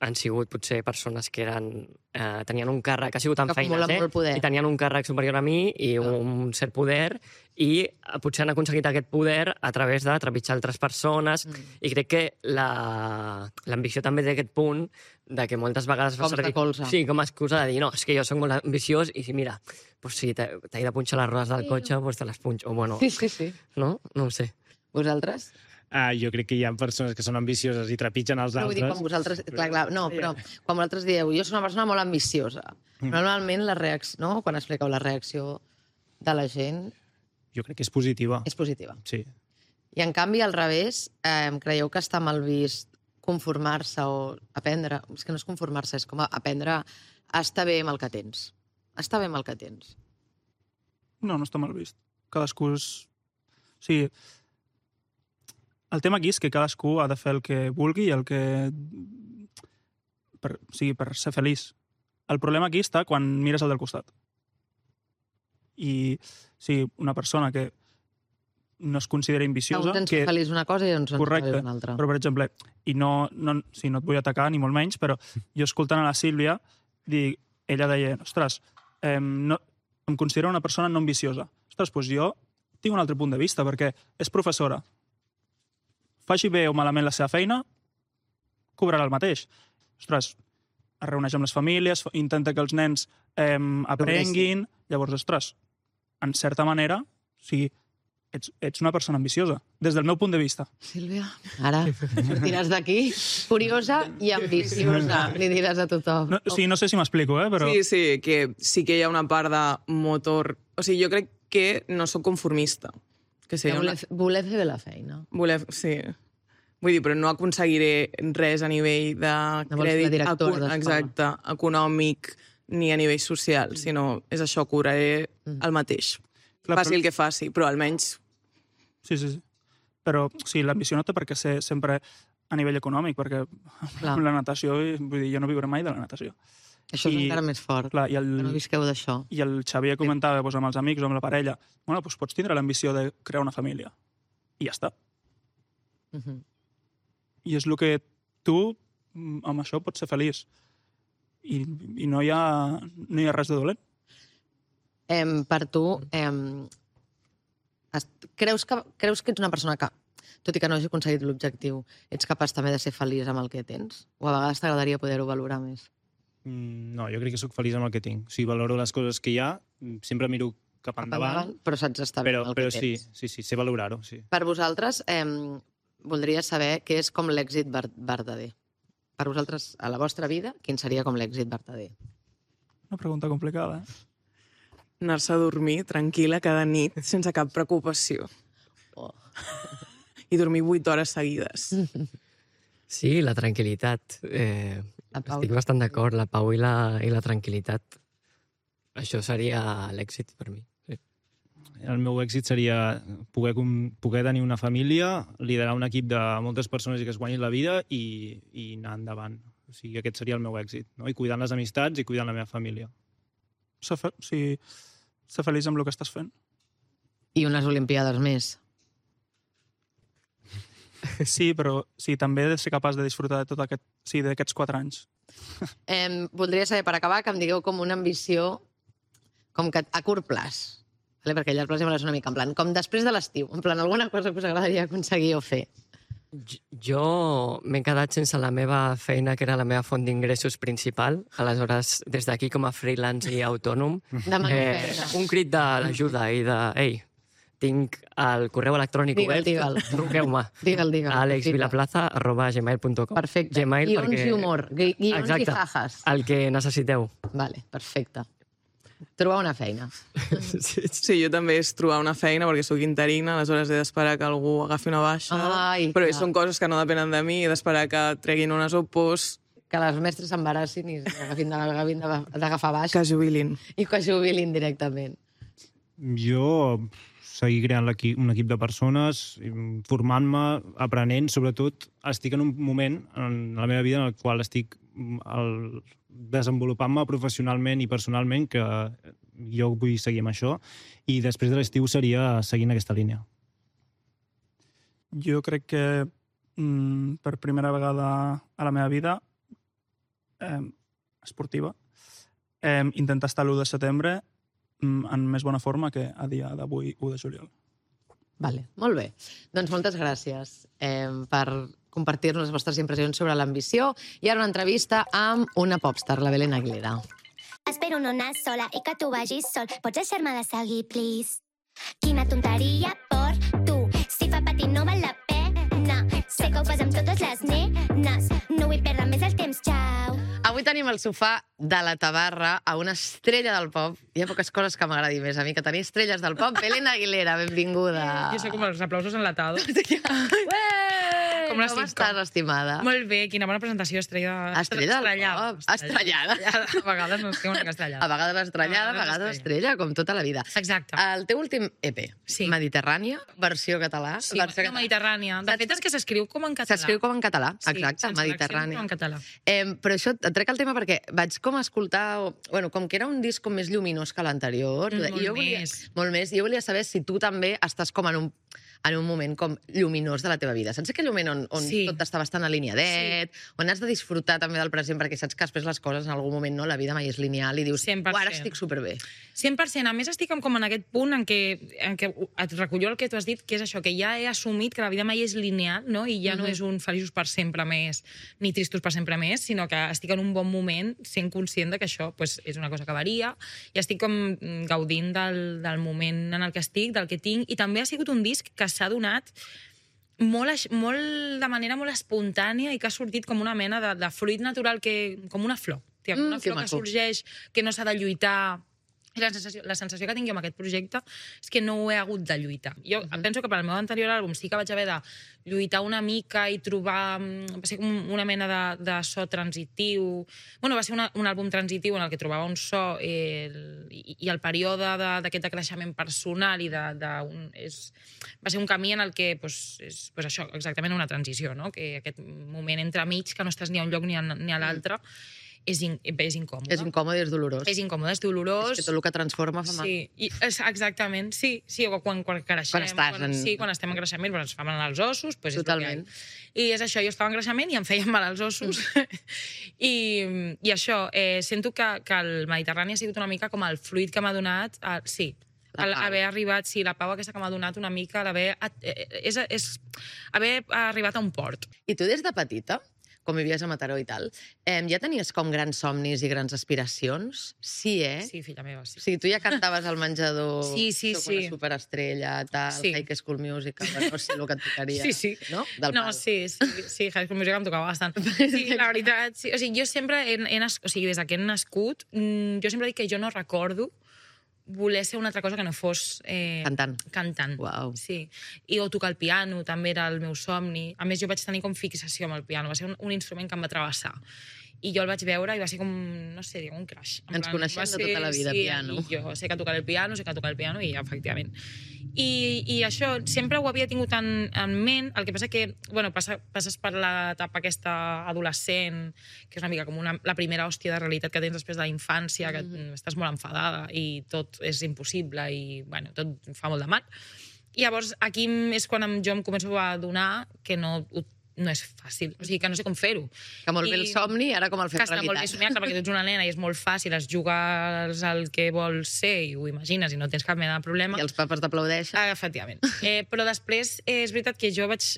[SPEAKER 6] han sigut potser persones que tenien un càrrec, ha sigut amb
[SPEAKER 1] Que acumulen
[SPEAKER 6] feines,
[SPEAKER 1] molt poder.
[SPEAKER 6] i tenien un càrrec superior a mi i un cert poder, i potser han aconseguit aquest poder a través de trepitjar altres persones, i crec que l'ambició també té aquest punt de que moltes vegades
[SPEAKER 1] Cops de colze.
[SPEAKER 6] Sí, com a excusa de dir, no, és que jo soc molt ambiciós i mira, pues si t'he de punxar les rodes del cotxe, pues te les punxo. O bueno,
[SPEAKER 1] Sí.
[SPEAKER 6] no? No ho sé.
[SPEAKER 1] Vosaltres?
[SPEAKER 4] Jo crec que hi ha persones que són ambicioses i trepitgen els
[SPEAKER 1] No, vull dir,
[SPEAKER 4] altres.
[SPEAKER 1] quan vosaltres... Clar, no, però quan vosaltres dieu, jo soc una persona molt ambiciosa, normalment la reacció, no? Quan expliqueu la reacció de la gent
[SPEAKER 4] Jo crec que és positiva.
[SPEAKER 1] és positiva.
[SPEAKER 4] Sí.
[SPEAKER 1] I en canvi, al revés, creieu que està mal vist conformar-se o aprendre... És que no és conformar-se, és com aprendre a estar bé amb el que tens. Estar bé amb el que tens.
[SPEAKER 3] No està mal vist. Cadascú és... O sigui, el tema aquí és que cadascú ha de fer el que vulgui i el que... per ser feliç. El problema aquí està quan mires el del costat. I una persona que no es considera ambiciosa...
[SPEAKER 1] Un tens feliç una cosa i uns ens
[SPEAKER 3] Correcte,
[SPEAKER 1] feliç una altra.
[SPEAKER 3] però per exemple, i no et vull atacar ni molt menys, però jo escoltant a la Sílvia, ella deia, ostres, em considero una persona no ambiciosa. Ostres, doncs jo tinc un altre punt de vista, perquè és professora. Faci bé o malament la seva feina, cobrarà el mateix. Ostres, es reuneix amb les famílies, intenta que els nens aprenguin... Llavors, ostres, en certa manera, ets una persona ambiciosa, des del meu punt de vista.
[SPEAKER 1] Sílvia, ara sortiràs d'aquí curiosa i ambiciosa, li diràs a tothom.
[SPEAKER 3] No sé si m'explico, però...
[SPEAKER 5] Sí, que sí que hi ha una part de motor... O sigui, jo crec que no sóc conformista. Que
[SPEAKER 1] voler fer bé la feina.
[SPEAKER 5] Sí. Vull dir, però no aconseguiré res a nivell de crèdit exacte, econòmic ni a nivell social, sinó és això, cobraré el mateix. Faci el que faci, però almenys...
[SPEAKER 3] Sí. Però l'ambició no té per què ser sempre a nivell econòmic, perquè amb la natació, vull dir, jo no viuré mai de la natació.
[SPEAKER 1] Això és encara més fort, que no visqueu d'això.
[SPEAKER 3] I el Xavier comentava amb els amics o amb la parella, bueno, doncs pots tindre l'ambició de crear una família. I ja està. I és el que tu, amb això, pots ser feliç. I no hi ha res de dolent.
[SPEAKER 1] Per tu, creus que ets una persona que, tot i que no hagi aconseguit l'objectiu, ets capaç també de ser feliç amb el que tens? O a vegades t'agradaria poder-ho valorar més?
[SPEAKER 4] No, jo crec que sóc feliç amb el que tinc. O sigui, valoro les coses que hi ha, sempre miro cap endavant.
[SPEAKER 1] Però saps estar bé amb el que tens.
[SPEAKER 4] Sí, sé valorar-ho, sí.
[SPEAKER 1] Per vosaltres, voldria saber què és com l'èxit verdader. Per vosaltres, a la vostra vida, quin seria com l'èxit verdader?
[SPEAKER 3] Una pregunta complicada,
[SPEAKER 5] Anar-se a dormir tranquil·la cada nit, sense cap preocupació. I dormir 8 hores seguides.
[SPEAKER 6] Sí, la tranquil·litat. Estic bastant d'acord, la pau i la tranquil·litat. Això seria l'èxit per mi. Sí.
[SPEAKER 4] El meu èxit seria poder tenir una família, liderar un equip de moltes persones i que es guanyin la vida i anar endavant. O sigui, aquest seria el meu èxit. No? I cuidant les amistats i cuidant la meva família.
[SPEAKER 3] Ser feliç amb el que estàs fent.
[SPEAKER 1] I unes Olimpiades més.
[SPEAKER 3] Sí, però també he de ser capaç de disfrutar de tot d'aquests 4 anys.
[SPEAKER 1] Voldria saber, per acabar, que em digueu com una ambició com que a curt plaç, perquè a llarg plaç és una mica en plan, com després de l'estiu, en plan, alguna cosa que us agradaria aconseguir o fer.
[SPEAKER 6] Jo m'he quedat sense la meva feina, que era la meva font d'ingressos principal. Aleshores, des d'aquí, com a freelance i autònom, un crit d'ajuda i de... Ei, tinc el correu electrònic obert. Truqueu-me.
[SPEAKER 1] Digue'l.
[SPEAKER 6] alexvilaplaza@gmail.com.
[SPEAKER 1] Perfecte. Guions i humor. Guions i jajas.
[SPEAKER 6] El que necessiteu.
[SPEAKER 1] Vale, perfecte. Trobar una feina.
[SPEAKER 5] Sí, jo també és trobar una feina, perquè sóc interina, aleshores he d'esperar que algú agafi una baixa, però són coses que no depenen de mi, he d'esperar que treguin unes opos,
[SPEAKER 1] que les mestres s'embarassin i agafin d'agafar baix
[SPEAKER 5] Que jubilin.
[SPEAKER 1] i que jubilin directament.
[SPEAKER 4] Jo seguir creant un equip de persones, formant-me, aprenent, sobretot estic en un moment en la meva vida en el qual estic desenvolupant-me professionalment i personalment que jo vull seguir amb això i després de l'estiu seria seguint aquesta línia.
[SPEAKER 3] Jo crec que per primera vegada a la meva vida esportiva intentar estar l'1 de setembre en més bona forma que a dia d'avui, 1 de juliol.
[SPEAKER 1] Vale, molt bé. Doncs moltes gràcies per compartir-nos les vostres impressions sobre l'ambició i ara una entrevista amb una popstar, la Belén Aguilera.
[SPEAKER 2] Espero no anar sola i que tu vagis sol. Pots deixar-me de seguir, please? Quina tonteria per tu. Si fa patir no val la pena. Sé que ho fas amb totes les nenes. No vull perdre més el temps, xau.
[SPEAKER 1] Avui tenim al sofà de la Tabarra a una estrella del pop. Hi ha poques coses que m'agradi més a mi que tenir estrelles del pop. Belén Aguilera, benvinguda.
[SPEAKER 7] Jo soc com els aplausos enlatados.
[SPEAKER 1] Com estàs, estimada?
[SPEAKER 7] Molt bé, quina bona presentació, estrella...
[SPEAKER 1] Estrella del pop. Estrellada.
[SPEAKER 7] A vegades no estic una mica estrellada.
[SPEAKER 1] A vegades estrellada, a vegades estrella, com tota la vida.
[SPEAKER 7] Exacte.
[SPEAKER 1] El teu últim EP,
[SPEAKER 7] Sí.
[SPEAKER 1] Mediterrània, versió català.
[SPEAKER 7] Sí, versió mediterrània. De fet, és que s'escriu com en català.
[SPEAKER 1] S'escriu com en català,
[SPEAKER 7] Sí,
[SPEAKER 1] exacte,
[SPEAKER 7] sense
[SPEAKER 1] Mediterrània.
[SPEAKER 7] l'accent, com en català.
[SPEAKER 1] Però això, et trec el tema perquè vaig com escoltar... Bueno, com que era un disc com més lluminós que l'anterior. Molt més. I jo volia saber si tu també estàs com en un moment com lluminós de la teva vida. Saps aquell moment on tot està bastant alineadet, on has de disfrutar també del present, perquè saps que després les coses en algun moment, no, la vida mai és lineal, i dius,
[SPEAKER 7] 100%.
[SPEAKER 1] ara estic superbé.
[SPEAKER 7] 100%. A més, estic com en aquest punt en què et recullo el que tu has dit, que és això, que ja he assumit que la vida mai és lineal, no? I ja no és un feliços per sempre més, ni tristos per sempre més, sinó que estic en un bon moment sent conscient de que això pues, és una cosa que varia, i estic com gaudint del moment en el que estic, del que tinc, i també ha sigut un disc que s'ha donat de manera molt espontània i que ha sortit com una mena de fruit natural, com una flor. Una flor que sorgeix, que no s'ha de lluitar. I la sensació que tinc jo amb aquest projecte és que no ho he hagut de lluitar. Jo penso que per al meu anterior àlbum sí que vaig haver de lluitar una mica i trobar... Va ser com una mena de so transitiu. Bueno, va ser un àlbum transitiu en el que trobava un so i el període d'aquest creixement personal va ser un camí en el que és això, exactament una transició, no? Que aquest moment entremig que no estàs ni a un lloc ni a l'altre és incòmode.
[SPEAKER 1] És incòmode i és dolorós.
[SPEAKER 7] És incòmode, és dolorós.
[SPEAKER 1] És que tot el que transforma fa mal.
[SPEAKER 7] Sí, exactament, sí. Quan creixem. Quan estem en creixement, ens fa mal als ossos.
[SPEAKER 1] Totalment.
[SPEAKER 7] I és això, jo estava en creixement i em feien mal als ossos. I això, sento que el Mediterrani ha sigut una mica com el fruit que m'ha donat... Sí, haver arribat, la pau aquesta que m'ha donat una mica, haver arribat a un port.
[SPEAKER 1] I tu des de petita, com vivies a Mataró i tal, ja tenies com grans somnis i grans aspiracions? Sí,
[SPEAKER 7] Sí, filla meva, sí.
[SPEAKER 1] O sigui, tu ja cantaves al menjador,
[SPEAKER 7] soc
[SPEAKER 1] una superestrella, tal, High School Musical, no sé el que et tocaria, no? No,
[SPEAKER 7] sí, High School Musical em tocava bastant. Sí, la veritat, sí. O sigui, jo sempre, des que he nascut, jo sempre dic que jo no recordo voler ser una altra cosa que no fos... Cantant.
[SPEAKER 1] Uau.
[SPEAKER 7] Sí. O tocar el piano, també era el meu somni. A més, jo vaig tenir com fixació amb el piano. Va ser un instrument que em va travessar. I jo el vaig veure i va ser com, no sé, un crash.
[SPEAKER 1] Ens coneixem de tota la vida, piano.
[SPEAKER 7] I jo sé que tocar el piano, i efectivament. I això sempre ho havia tingut en ment, el que passa que, bueno, passes per l'etapa aquesta adolescent, que és una mica com la primera hòstia de realitat que tens després de la infància, que estàs molt enfadada i tot és impossible i, bueno, tot fa molt de mal. I llavors aquí és quan jo em començo a adonar que no és fàcil, o sigui, que no sé com fer-ho.
[SPEAKER 1] Que molt bé el somni, ara com el fem realitat.
[SPEAKER 7] Que està molt bé somiar, perquè tu ets una nena i és molt fàcil, es jugues al que vols ser i ho imagines i no tens cap mena de problema.
[SPEAKER 1] I els papes t'aplaudeixen.
[SPEAKER 7] Efectivament. Però després és veritat que jo vaig...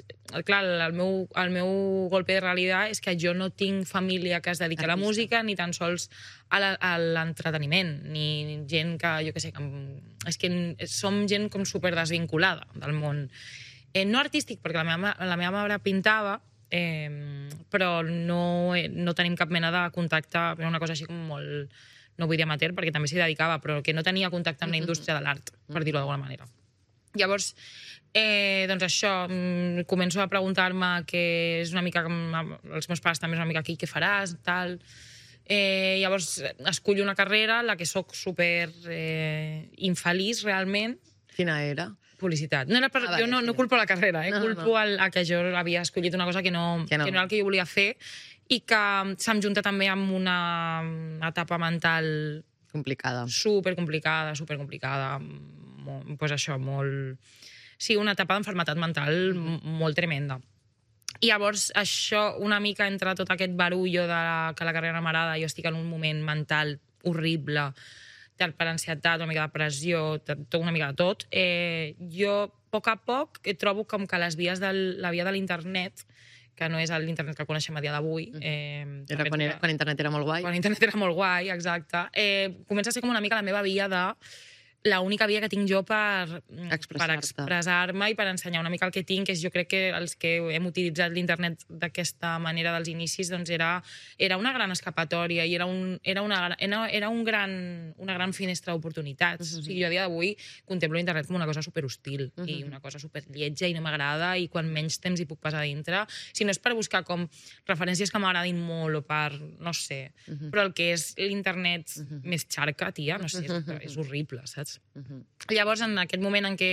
[SPEAKER 7] Clar, el meu golpe de realitat és que jo no tinc família que es dedica a la música ni tan sols a l'entreteniment, ni gent que, jo què sé, és que som gent com super desvinculada del món. No artístic, perquè la meva mare pintava, però no tenim cap mena de contacte, una cosa així com molt, no vull dir amateur, perquè també s'hi dedicava, però que no tenia contacte amb la indústria de l'art, per dir-ho d'alguna manera. Llavors, doncs això, començo a preguntar-me que és una mica, els meus pares també és una mica aquí, què faràs, tal. Llavors, escollo una carrera en la que soc super infeliç, realment.
[SPEAKER 1] Quina era?
[SPEAKER 7] Publicitat. No era jo no culpo la carrera, culpo a que jo havia escollit una cosa que no era el que jo volia fer i que se'm junta també amb una etapa mental
[SPEAKER 1] complicada.
[SPEAKER 7] Supercomplicada. Pues això, molt... Sí, una etapa d'enfermetat mental molt tremenda. I llavors, això, una mica entre tot aquest barullo que la carrera m'agrada, jo estic en un moment mental horrible, per ansietat, una mica de pressió, una mica de tot. Jo, a poc, trobo com que la via de l'internet, que no és l'internet que coneixem a dia d'avui...
[SPEAKER 1] Era quan internet era molt guai.
[SPEAKER 7] Quan internet era molt guai, exacte. Comença a ser com una mica la meva via de... l'única via que tinc jo per expressar-me i per ensenyar una mica el que tinc, que és, jo crec que els que hem utilitzat l'internet d'aquesta manera dels inicis, doncs era una gran escapatòria i era una gran finestra d'oportunitats. O sigui, jo a dia d'avui contemplo l'internet com una cosa superhostil i una cosa superlletja i no m'agrada i quan menys temps hi puc passar dintre. Si no és per buscar com referències que m'agradin molt o per, no sé, però el que és l'internet més xarca, tia, no sé, és horrible, saps? Llavors, en aquest moment en què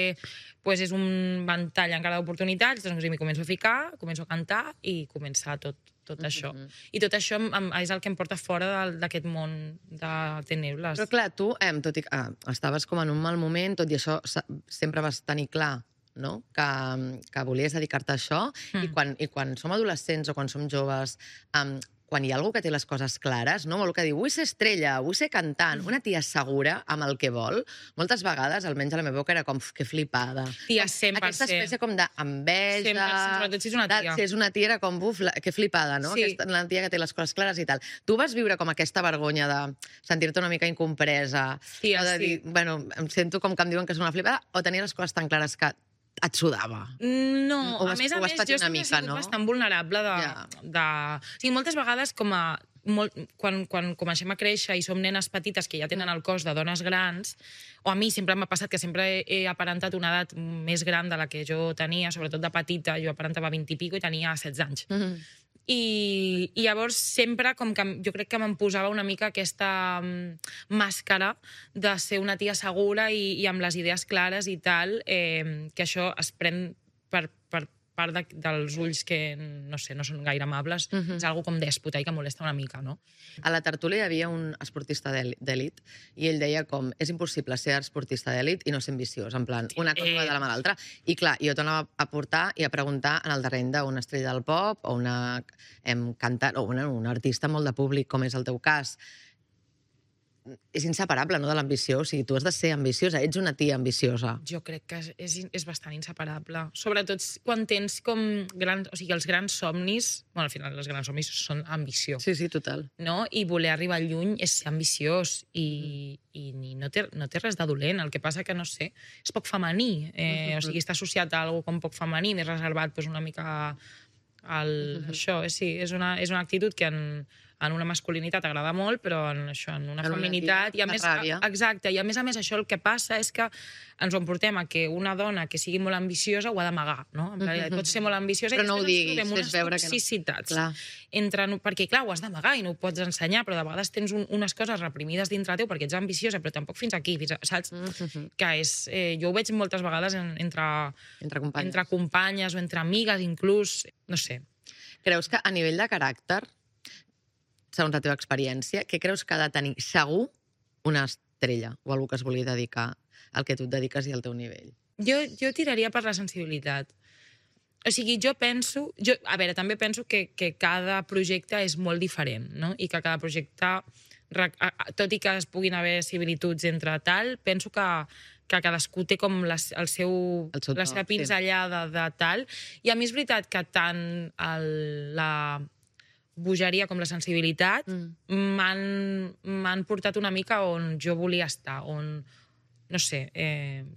[SPEAKER 7] és un ventall encara d'oportunitats, doncs m'hi començo a ficar, començo a cantar i comença tot això. I tot això és el que em porta fora d'aquest món de tenebres.
[SPEAKER 1] Però clar, tu, tot i que estaves com en un mal moment, tot i això sempre vas tenir clar, no?, que volies dedicar-te a això, i quan som adolescents o quan som joves... quan hi ha algú que té les coses clares, no? Algú que diu, vull ser estrella, vull ser cantant, una tia segura amb el que vol, moltes vegades, almenys a la meva boca, era com, que flipada.
[SPEAKER 7] Tia, 100%.
[SPEAKER 1] Aquesta espècie com d'enveja...
[SPEAKER 7] 100%, sobretot si és una tia.
[SPEAKER 1] Si és una tia era com, buf, que flipada, no?
[SPEAKER 7] Sí.
[SPEAKER 1] La tia que té les coses clares i tal. Tu vas viure com aquesta vergonya de sentir-te una mica incompresa,
[SPEAKER 7] Tia,
[SPEAKER 1] o de dir, bueno, em sento com que em diuen que és una flipada, o tenir les coses tan clares que et sudava?
[SPEAKER 7] No,
[SPEAKER 1] a
[SPEAKER 7] més, jo sempre he sigut bastant vulnerable de... O sigui, moltes vegades, quan comencem a créixer i som nenes petites que ja tenen el cos de dones grans, o a mi sempre m'ha passat que sempre he aparentat una edat més gran de la que jo tenia, sobretot de petita, jo aparentava 20 i pico i tenia 16 anys. I llavors sempre com que jo crec que me'n posava una mica aquesta màscara de ser una tia segura i amb les idees clares i tal, que això es pren per part dels ulls que, no sé, no són gaire amables, és algo com dèspota i que molesta una mica, no?
[SPEAKER 1] A la tertúlia hi havia un esportista d'elit i ell deia com, és impossible ser esportista d'elit i no ser ambiciós, en plan, una cosa va de la mà l'altra. I clar, jo t'anava a portar i a preguntar en el terreny d'una estrella del pop o una cantant o un artista molt de públic, com és el teu cas. És inseparable, no?, de l'ambició. O sigui, tu has de ser ambiciosa, ets una tia ambiciosa.
[SPEAKER 7] Jo crec que és bastant inseparable. Sobretot quan tens com grans... O sigui, els grans somnis... Bueno, al final, els grans somnis són ambició.
[SPEAKER 1] Sí, total.
[SPEAKER 7] No? I voler arribar lluny és ser ambiciós. I no té res de dolent. El que passa que, no sé, és poc femení. O sigui, està associat a alguna com poc femení, més reservat, doncs una mica... Això, sí, és una actitud que en una masculinitat agrada molt, però en una feminitat... Exacte, i a més això el que passa és que ens ho emportem a que una dona que sigui molt ambiciosa ho ha d'amagar, no? Pot ser molt ambiciosa
[SPEAKER 1] però no ho diguis,
[SPEAKER 7] fes veure que no. Toxicitats. Perquè, clar, ho has d'amagar i no ho pots ensenyar, però de vegades tens unes coses reprimides dintre teu perquè ets ambiciosa, però tampoc fins aquí, saps? Que és... Jo ho veig moltes vegades entre companyes o entre amigues, inclús, no sé.
[SPEAKER 1] Creus que a nivell de caràcter, segons la teva experiència, què creus que ha de tenir segur una estrella o algú que es vulgui dedicar al que tu et dediques i al teu nivell?
[SPEAKER 7] Jo tiraria per la sensibilitat. O sigui, jo penso... A veure, també penso que cada projecte és molt diferent, no? I que cada projecte, tot i que es puguin haver similituds entre tal, penso que cadascú té com la seva pinzellada de tal. I a mi és veritat que tant la bogeria com la sensibilitat m'han portat una mica on jo volia estar, on, no sé,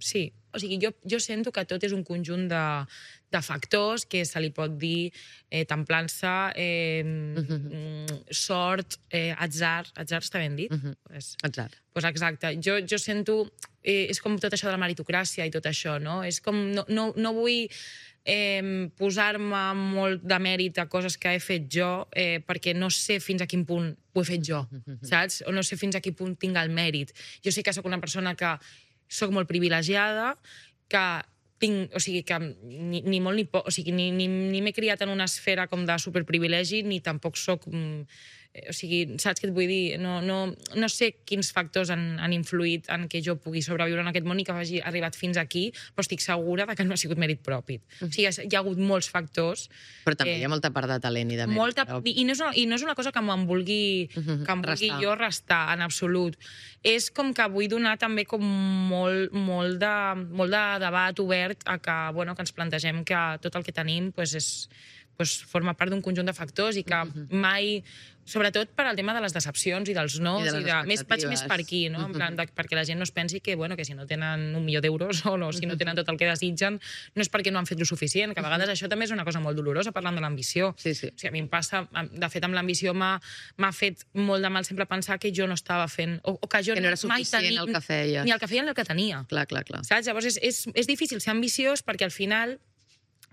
[SPEAKER 7] sí, O sigui, jo sento que tot és un conjunt de factors que se li pot dir templança, sort, atzar. Atzar està ben dit?
[SPEAKER 1] Atzar.
[SPEAKER 7] Pues exacte. Jo sento... És com tot això de la meritocràcia i tot això, no? És com... No vull posar-me molt de mèrit a coses que he fet jo perquè no sé fins a quin punt ho he fet jo, saps? O no sé fins a quin punt tinc el mèrit. Jo sé que sóc una persona que sóc molt privilegiada, que tinc, o sigui, que ni molt ni poc, o sigui, ni m'he criat en una esfera com de superprivilegi, ni tampoc sóc... O sigui, saps què et vull dir? No sé quins factors han influït en que jo pugui sobreviure en aquest món i que hagi arribat fins aquí, però estic segura que no ha sigut mèrit propi. O sigui, hi ha hagut molts factors.
[SPEAKER 1] Però també hi ha molta part de talent i de mèrit.
[SPEAKER 7] I no és una cosa que em vulgui jo restar, en absolut. És com que vull donar també com molt de debat obert a que ens plantegem que tot el que tenim forma part d'un conjunt de factors i que mai, sobretot per al tema de les decepcions i dels nos, vaig més per aquí, no? En plan, perquè la gent no es pensi que si no tenen $1.000.000 o si no tenen tot el que desitgen, no és perquè no han fet lo suficient, que a vegades això també és una cosa molt dolorosa parlant de l'ambició. O sigui, a mi em passa, de fet, amb l'ambició m'ha fet molt de mal sempre pensar que jo no estava fent, o que jo
[SPEAKER 1] que no era suficient el que feia.
[SPEAKER 7] Ni el que feia ni el que tenia.
[SPEAKER 1] Clar.
[SPEAKER 7] Saps? Llavors és difícil ser ambiciós perquè al final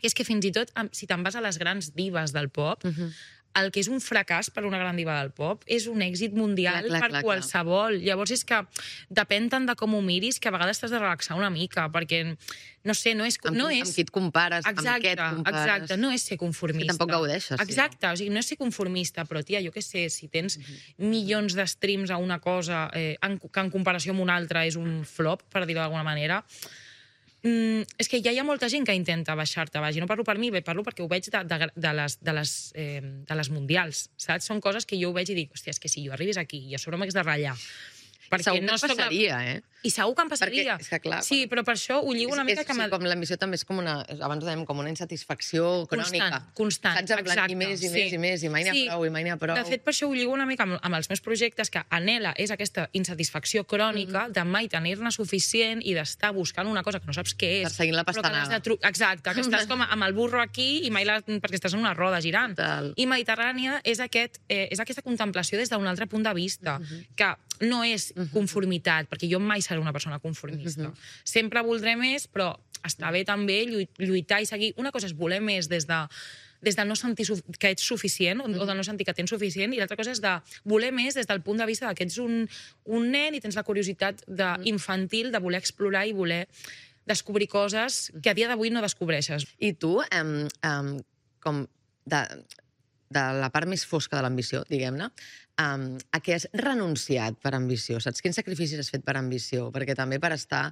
[SPEAKER 7] és que fins i tot, si te'n vas a les grans divas del pop, el que és un fracàs per una gran diva del pop és un èxit mundial per qualsevol. Llavors és que depèn tant de com ho miris que a vegades t'has de relaxar una mica, perquè, no sé, no és...
[SPEAKER 1] Amb qui et compares, amb què et compares.
[SPEAKER 7] Exacte, no és ser conformista.
[SPEAKER 1] Que tampoc gaudeixes.
[SPEAKER 7] Exacte, o sigui, no és ser conformista, però, tia, jo què sé, si tens milions de streams a una cosa que en comparació amb una altra és un flop, per dir-ho d'alguna manera, és que ja hi ha molta gent que intenta baixar-te baix. I no parlo per mi, parlo perquè ho veig de les mundials, saps? Són coses que jo ho veig i dic, hòstia, és que si jo arribis aquí i a sobre m'hagués de ratllar...
[SPEAKER 1] Segur que passaria,
[SPEAKER 7] I segur que em passaria. Sí, però per això ho lligo una mica...
[SPEAKER 1] Com l'ambició també és com una... Abans ho dèiem, com una insatisfacció crònica.
[SPEAKER 7] Constant,
[SPEAKER 1] exacte. I més, i mai n'hi ha prou,
[SPEAKER 7] De fet, per això ho lligo una mica amb els meus projectes, que anhela és aquesta insatisfacció crònica de mai tenir-ne suficient i d'estar buscant una cosa que no saps què és.
[SPEAKER 1] Perseguint la pastanaga.
[SPEAKER 7] Exacte, que estàs com amb el burro aquí i mai perquè estàs en una roda girant. I Mediterrània és aquesta contemplació des d'un altre punt de vista, que no és conformitat, perquè jo mai seré una persona conformista. Sempre voldré més, però està bé també lluitar i seguir. Una cosa és voler més des de no sentir que ets suficient o de no sentir que tens suficient, i l'altra cosa és de voler més des del punt de vista que ets un nen i tens la curiositat infantil de voler explorar i voler descobrir coses que a dia d'avui no descobreixes.
[SPEAKER 1] I tu, com de la part més fosca de l'ambició, diguem-ne, a què has renunciat per ambició? Saps quins sacrificis has fet per ambició? Perquè també per estar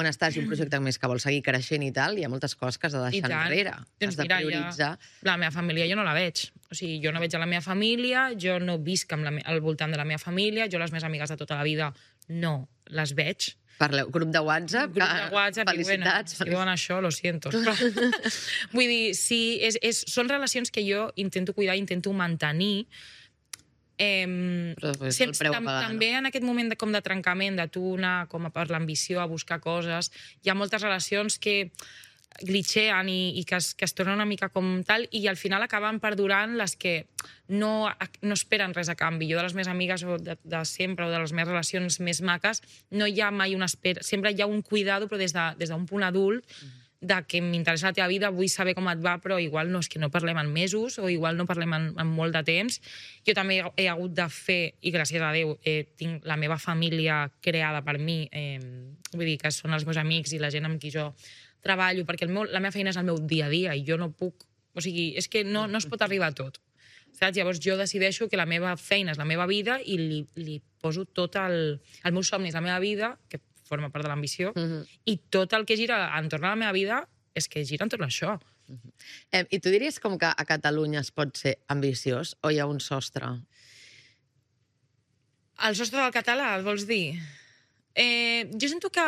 [SPEAKER 1] on estàs i un projecte més que vol seguir creixent i tal, hi ha moltes coses que has de deixar enrere. Has de prioritzar.
[SPEAKER 7] La meva família jo no la veig. O sigui, jo no veig a la meva família, jo no visc al voltant de la meva família, jo les meves amigues de tota la vida no les veig.
[SPEAKER 1] Parleu, grup de WhatsApp, felicitats.
[SPEAKER 7] Si diuen això, lo siento. Vull dir, sí, són relacions que jo intento cuidar, intento mantenir. També en aquest moment de trencament, de tu anar per l'ambició a buscar coses, hi ha moltes relacions que glitxeen i que es tornen una mica com tal, i al final acaben perdurant les que no esperen res a canvi. Jo de les meves amigues de sempre o de les meves relacions més maques no hi ha mai una espera, sempre hi ha un cuidado però des d'un punt adult de que m'interessa la teva vida, vull saber com et va, però igual no és que no parlem en mesos o igual no parlem en molt de temps. Jo també he hagut de fer, i gràcies a Déu, tinc la meva família creada per mi, vull dir que són els meus amics i la gent amb qui jo treballo, perquè la meva feina és el meu dia a dia i jo no puc... O sigui, és que no es pot arribar a tot. Saps? Llavors jo decideixo que la meva feina és la meva vida i li poso tot el meu somni és la meva vida, que forma part de l'ambició, i tot el que gira entorn a la meva vida és que gira entorn a això.
[SPEAKER 1] I tu diries com que a Catalunya es pot ser ambiciós o hi ha un sostre?
[SPEAKER 7] El sostre del català, el vols dir? Jo sento que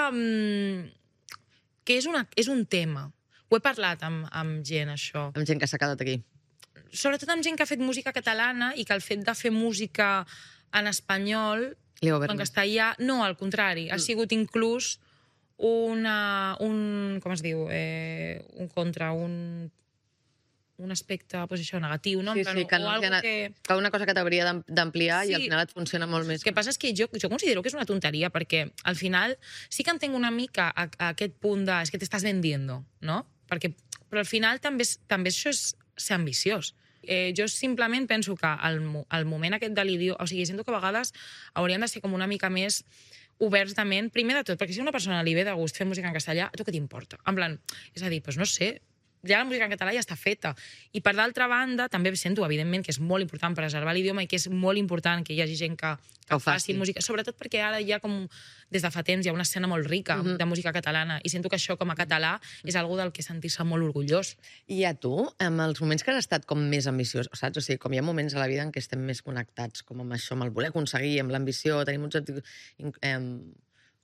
[SPEAKER 7] és un tema. Ho he parlat amb gent, això.
[SPEAKER 1] Amb gent que s'ha quedat aquí.
[SPEAKER 7] Sobretot amb gent que ha fet música catalana i que el fet de fer música en espanyol o en castellà, no, al contrari, ha sigut inclús com es diu? Un aspecte, doncs això, negatiu, no?
[SPEAKER 1] Sí, que una cosa que t'hauria d'ampliar i al final et funciona molt més.
[SPEAKER 7] El que passa és que jo considero que és una tonteria, perquè al final sí que entenc una mica a aquest punt de és que t'estàs vendiendo, no? Però al final també això és ser ambiciós. Jo simplement penso que al moment aquest de l'idioma... O sigui, sento que a vegades hauríem de ser com una mica més oberts de ment, primer de tot, perquè si a una persona li ve de gust fer música en castellà, a tu què t'importa? En plan, és a dir, doncs no sé, ja la música en català ja està feta. I per d'altra banda, també sento, evidentment, que és molt important preservar l'idioma i que és molt important que hi hagi gent que faci música, sobretot perquè ara hi ha com, des de fa temps, hi ha una escena molt rica de música catalana i sento que això, com a català, és algo del que sentir-se molt orgullós.
[SPEAKER 1] I a tu, en els moments que has estat com més ambiciós, saps? O sigui, com hi ha moments a la vida en què estem més connectats, com amb això, amb el voler aconseguir, amb l'ambició, tenim uns objectius...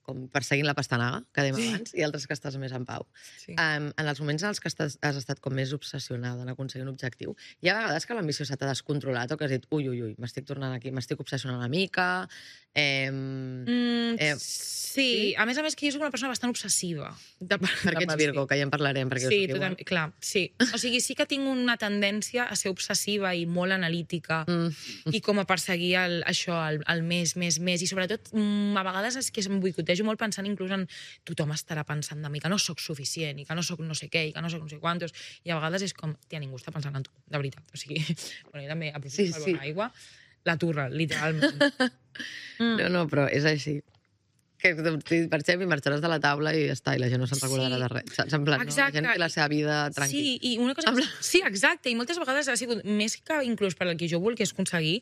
[SPEAKER 1] com perseguint la pastanaga, que dèiem abans, i altres que estàs més en pau. Sí. En els moments en els que has estat com més obsessionada en aconseguir un objectiu, hi ha vegades que l'ambició se t'ha descontrolat o que has dit, ui, m'estic tornant aquí, m'estic obsessionant una mica...
[SPEAKER 7] Sí, a més que jo soc una persona bastant obsessiva.
[SPEAKER 1] Perquè ets Virgo, que ja en parlarem, perquè
[SPEAKER 7] sí, jo soc igual. Clar, sí. O sigui, sí que tinc una tendència a ser obsessiva i molt analítica i com a perseguir això, el més, i sobretot a vegades és que em boicotejo molt pensant inclús en tothom estarà pensant de mi, que no sóc suficient i que no sóc no sé què i que no sóc no sé quantos, i a vegades és com, tia, ningú està pensant en tu, de veritat. O sigui, bueno, jo també aprofito per beure aigua, la turra, literalment.
[SPEAKER 1] No, però és així. Que marxem i marxaràs de la taula i ja està, i la gent no se'n recordarà de res. En plan, la gent té la seva vida tranquil·la.
[SPEAKER 7] Sí, i una cosa... Sí, exacte, i moltes vegades ha sigut més que inclús per el que jo volgués aconseguir,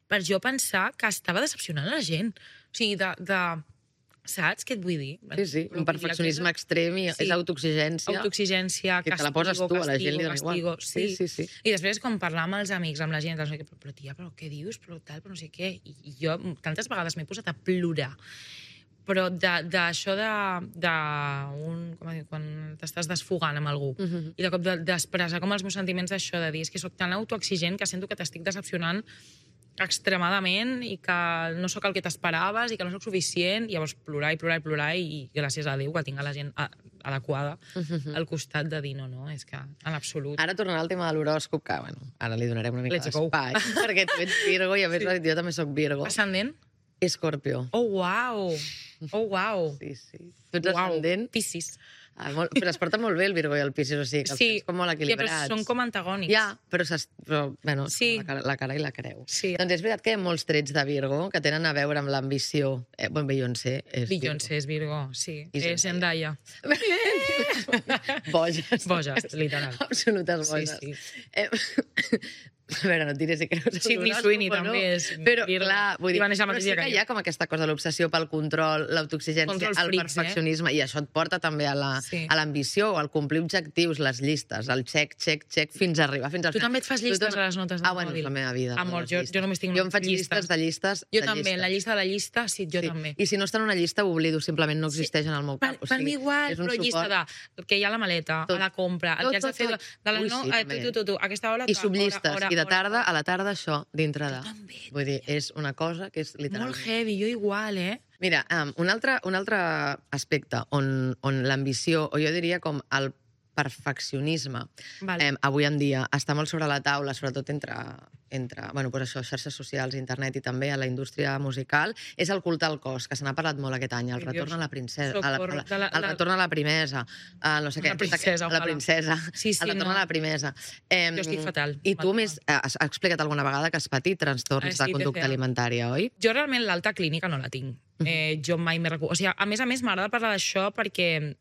[SPEAKER 7] per jo pensar que estava decepcionant la gent. O sigui, saps què et vull dir?
[SPEAKER 1] Sí, un perfeccionisme extrem i és autoexigència.
[SPEAKER 7] Autoexigència,
[SPEAKER 1] que te la poses tu, a la gent li dona igual.
[SPEAKER 7] Sí. I després, com parlar amb els amics, amb la gent, però tia, però què dius? Però tal, però no sé què. I jo tantes vegades m'he posat a plorar. Però d'això quan t'estàs desfogant amb algú i de cop d'expressar com els meus sentiments d'això, de dir, és que soc tan autoexigent que sento que t'estic decepcionant extremadament i que no sóc el que t'esperaves i que no sóc suficient, i llavors plorar i gràcies a Déu que tinc la gent adequada al costat de dir no, és que en absolut.
[SPEAKER 1] Ara tornarà al tema de l'horòscop, que ara li donarem una mica d'espai, perquè tu ets Virgo i a més jo també soc Virgo.
[SPEAKER 7] Ascendent?
[SPEAKER 1] Escorpió.
[SPEAKER 7] Oh, uau.
[SPEAKER 1] Sí. Tu ets ascendent?
[SPEAKER 7] Piscis.
[SPEAKER 1] Però es porta molt bé el Virgo i el Piscis, o sigui, que els com molt equilibrats.
[SPEAKER 7] Ja, però són com antagònics.
[SPEAKER 1] Ja, però bueno, la cara i la creu. Sí. Doncs és veritat que hi ha molts trets de Virgo que tenen a veure amb l'ambició. Beyoncé és Virgo.
[SPEAKER 7] Beyoncé és Virgo, sí. És Zendaya.
[SPEAKER 1] Boges,
[SPEAKER 7] literal.
[SPEAKER 1] Absolutes boges. Sí. A veure, no et diré si creus...
[SPEAKER 7] Sidney Sweeney també és
[SPEAKER 1] però,
[SPEAKER 7] Virgo.
[SPEAKER 1] Clar, vull dir,
[SPEAKER 7] però
[SPEAKER 1] sí que hi ha com aquesta cosa de l'obsessió pel control, l'autoexigència, el perfeccionisme, i això et porta també a l'ambició, al complir objectius, les llistes, el check, fins a arribar, fins al...
[SPEAKER 7] Tu també et fas llistes a les notes del
[SPEAKER 1] mòbil? És la meva vida.
[SPEAKER 7] Amor, jo només tinc llistes.
[SPEAKER 1] Jo em faig llistes de llistes.
[SPEAKER 7] Jo també, la llista de la llista, sí, jo també.
[SPEAKER 1] I si no està en una llista, ho oblido, simplement no existeix en el meu cap.
[SPEAKER 7] Per mi igual, però llista de que hi ha la maleta, a la compra, el que has de fer de aquesta hora...
[SPEAKER 1] I subllistes, i de tarda, a la tarda això, dintre de... Vull dir, és una cosa que és literalment...
[SPEAKER 7] Molt heavy, jo igual,
[SPEAKER 1] Mira, un altre aspecte on l'ambició, o jo diria com el perfeccionisme, avui en dia està molt sobre la taula, sobretot entre bueno, doncs això, xarxes socials, internet i també a la indústria musical, és el culte al cos, que se n'ha parlat molt aquest any, el retorn a la princesa, el retorn a la primesa, no sé què, la princesa, el retorn a la primesa.
[SPEAKER 7] Jo estic fatal.
[SPEAKER 1] I tu has explicat alguna vegada que has patit trastorns de conducta alimentària, oi?
[SPEAKER 7] Jo realment l'alta clínica no la tinc. Jo mai m'he recuperat. O sigui, a més m'agrada parlar d'això perquè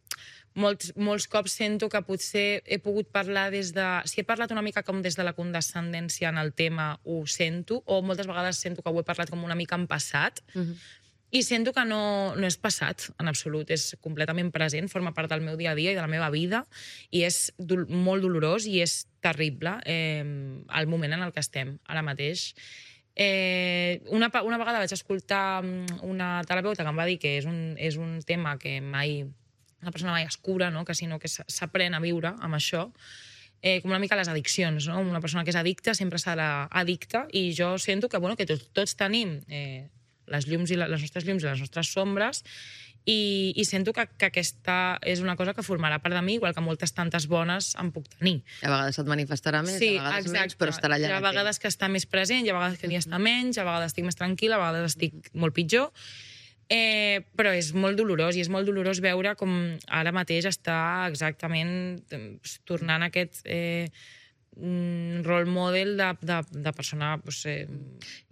[SPEAKER 7] molts cops sento que potser he pogut parlar des de... Si he parlat una mica com des de la condescendència en el tema, ho sento, o moltes vegades sento que ho he parlat com una mica en passat, i sento que no és passat, en absolut. És completament present, forma part del meu dia a dia i de la meva vida, i és molt dolorós i és terrible el moment en el que estem ara mateix. Una vegada vaig escoltar una terapeuta que em va dir que és un tema que una persona mai es cura, no? Sinó que s'aprèn a viure amb això, com una mica les addiccions, no? Una persona que és addicta sempre serà addicta, i jo sento que tots tenim les nostres llums i les nostres sombres, i sento que aquesta és una cosa que formarà part de mi, igual que moltes tantes bones en puc tenir.
[SPEAKER 1] A vegades et manifestarà més,
[SPEAKER 7] Sí,
[SPEAKER 1] a vegades
[SPEAKER 7] exacte.
[SPEAKER 1] menys, però estarà allà.
[SPEAKER 7] Hi ha vegades que està més present, hi ha vegades que n'hi està menys, a vegades estic més tranquil·la, a vegades estic molt pitjor. Però és molt dolorós, i és molt dolorós veure com ara mateix està exactament tornant aquest role model de persona...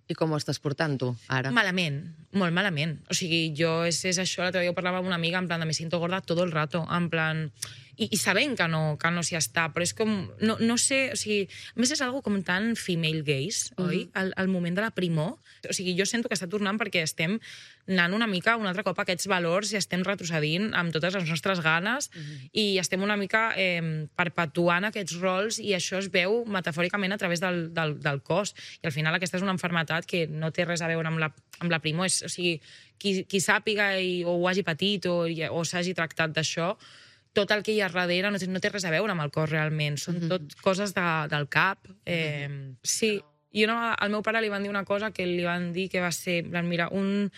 [SPEAKER 1] I com ho estàs portant, tu, ara?
[SPEAKER 7] Malament, molt malament. O sigui, jo és això, l'altre dia ho parlava amb una amiga, en plan de me siento gorda todo el rato, en plan... I sabent que no s'hi està, però és com... No sé, o sigui... A més, és algo com tan female gaze, oi? Al moment de la primor. O sigui, jo sento que està tornant perquè estem anant una mica un altre cop a aquests valors i estem retrocedint amb totes les nostres ganes i estem una mica perpetuant aquests rols, i això es veu metafòricament a través del cos. I al final aquesta és una malaltia que no té res a veure amb la primor. O sigui, qui sàpiga o ho hagi patit o s'hagi tractat d'això, tot el que hi ha darrere no té res a veure amb el cos realment. Són tot coses del cap. Sí. I al meu pare li van dir una cosa que li van dir que va ser, mira, una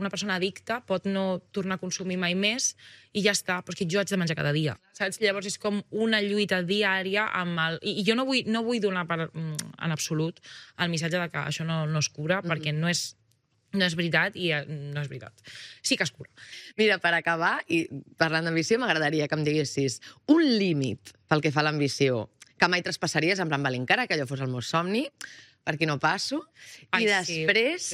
[SPEAKER 7] persona addicta pot no tornar a consumir mai més i ja està, però és que jo haig de menjar cada dia. Saps? Llavors és com una lluita diària amb el... I jo no vull donar en absolut el missatge de que això no es cura, perquè no és veritat, i no és veritat. Sí que es cura.
[SPEAKER 1] Mira, per acabar, i parlant d'ambició, m'agradaria que em diguessis un límit pel que fa a l'ambició que mai traspassaries, en plan, encara que allò fos el meu somni, per aquí no passo, i després,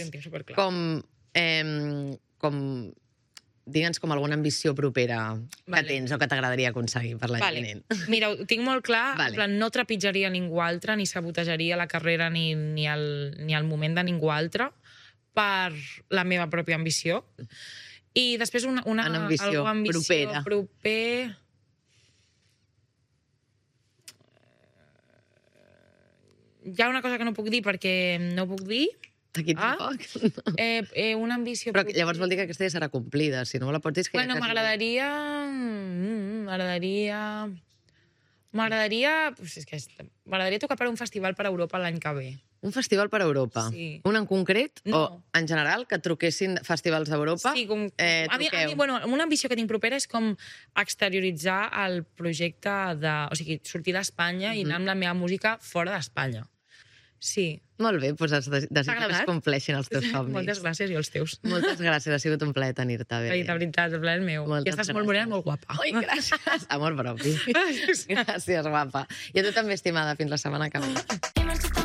[SPEAKER 1] digue'ns com alguna ambició propera que tens o que t'agradaria aconseguir per l'any vinent.
[SPEAKER 7] Mira, ho tinc molt clar, en plan, no trepitjaria ningú altre, ni sabotejaria la carrera ni el moment de ningú altre per la meva pròpia ambició. I després una
[SPEAKER 1] ambició propera.
[SPEAKER 7] Hi ha una cosa que no puc dir perquè no puc dir.
[SPEAKER 1] Aquí tampoc.
[SPEAKER 7] Una ambició...
[SPEAKER 1] Però llavors vol dir que aquesta ja serà complida. Si no me la pots dir, és que...
[SPEAKER 7] Bueno, m'agradaria... M'agradaria tocar per un festival per Europa l'any que ve.
[SPEAKER 1] Un festival per Europa?
[SPEAKER 7] Sí.
[SPEAKER 1] Un en concret?
[SPEAKER 7] No.
[SPEAKER 1] O en general, que et truquessin festivals d'Europa?
[SPEAKER 7] Sí, a mi, una ambició que tinc propera és com exterioritzar el projecte o sigui, sortir d'Espanya i anar amb la meva música fora d'Espanya. Sí.
[SPEAKER 1] Molt bé, doncs desitjo que es compleixin els teus somnis.
[SPEAKER 7] Moltes gràcies, i els teus.
[SPEAKER 1] Moltes gràcies, ha sigut un plaer tenir-te.
[SPEAKER 7] De veritat, el plaer meu. I estàs molt morena, molt guapa.
[SPEAKER 1] Ai, gràcies. Amor propi. Gràcies, guapa. I a tu també, estimada. Fins la setmana que ve.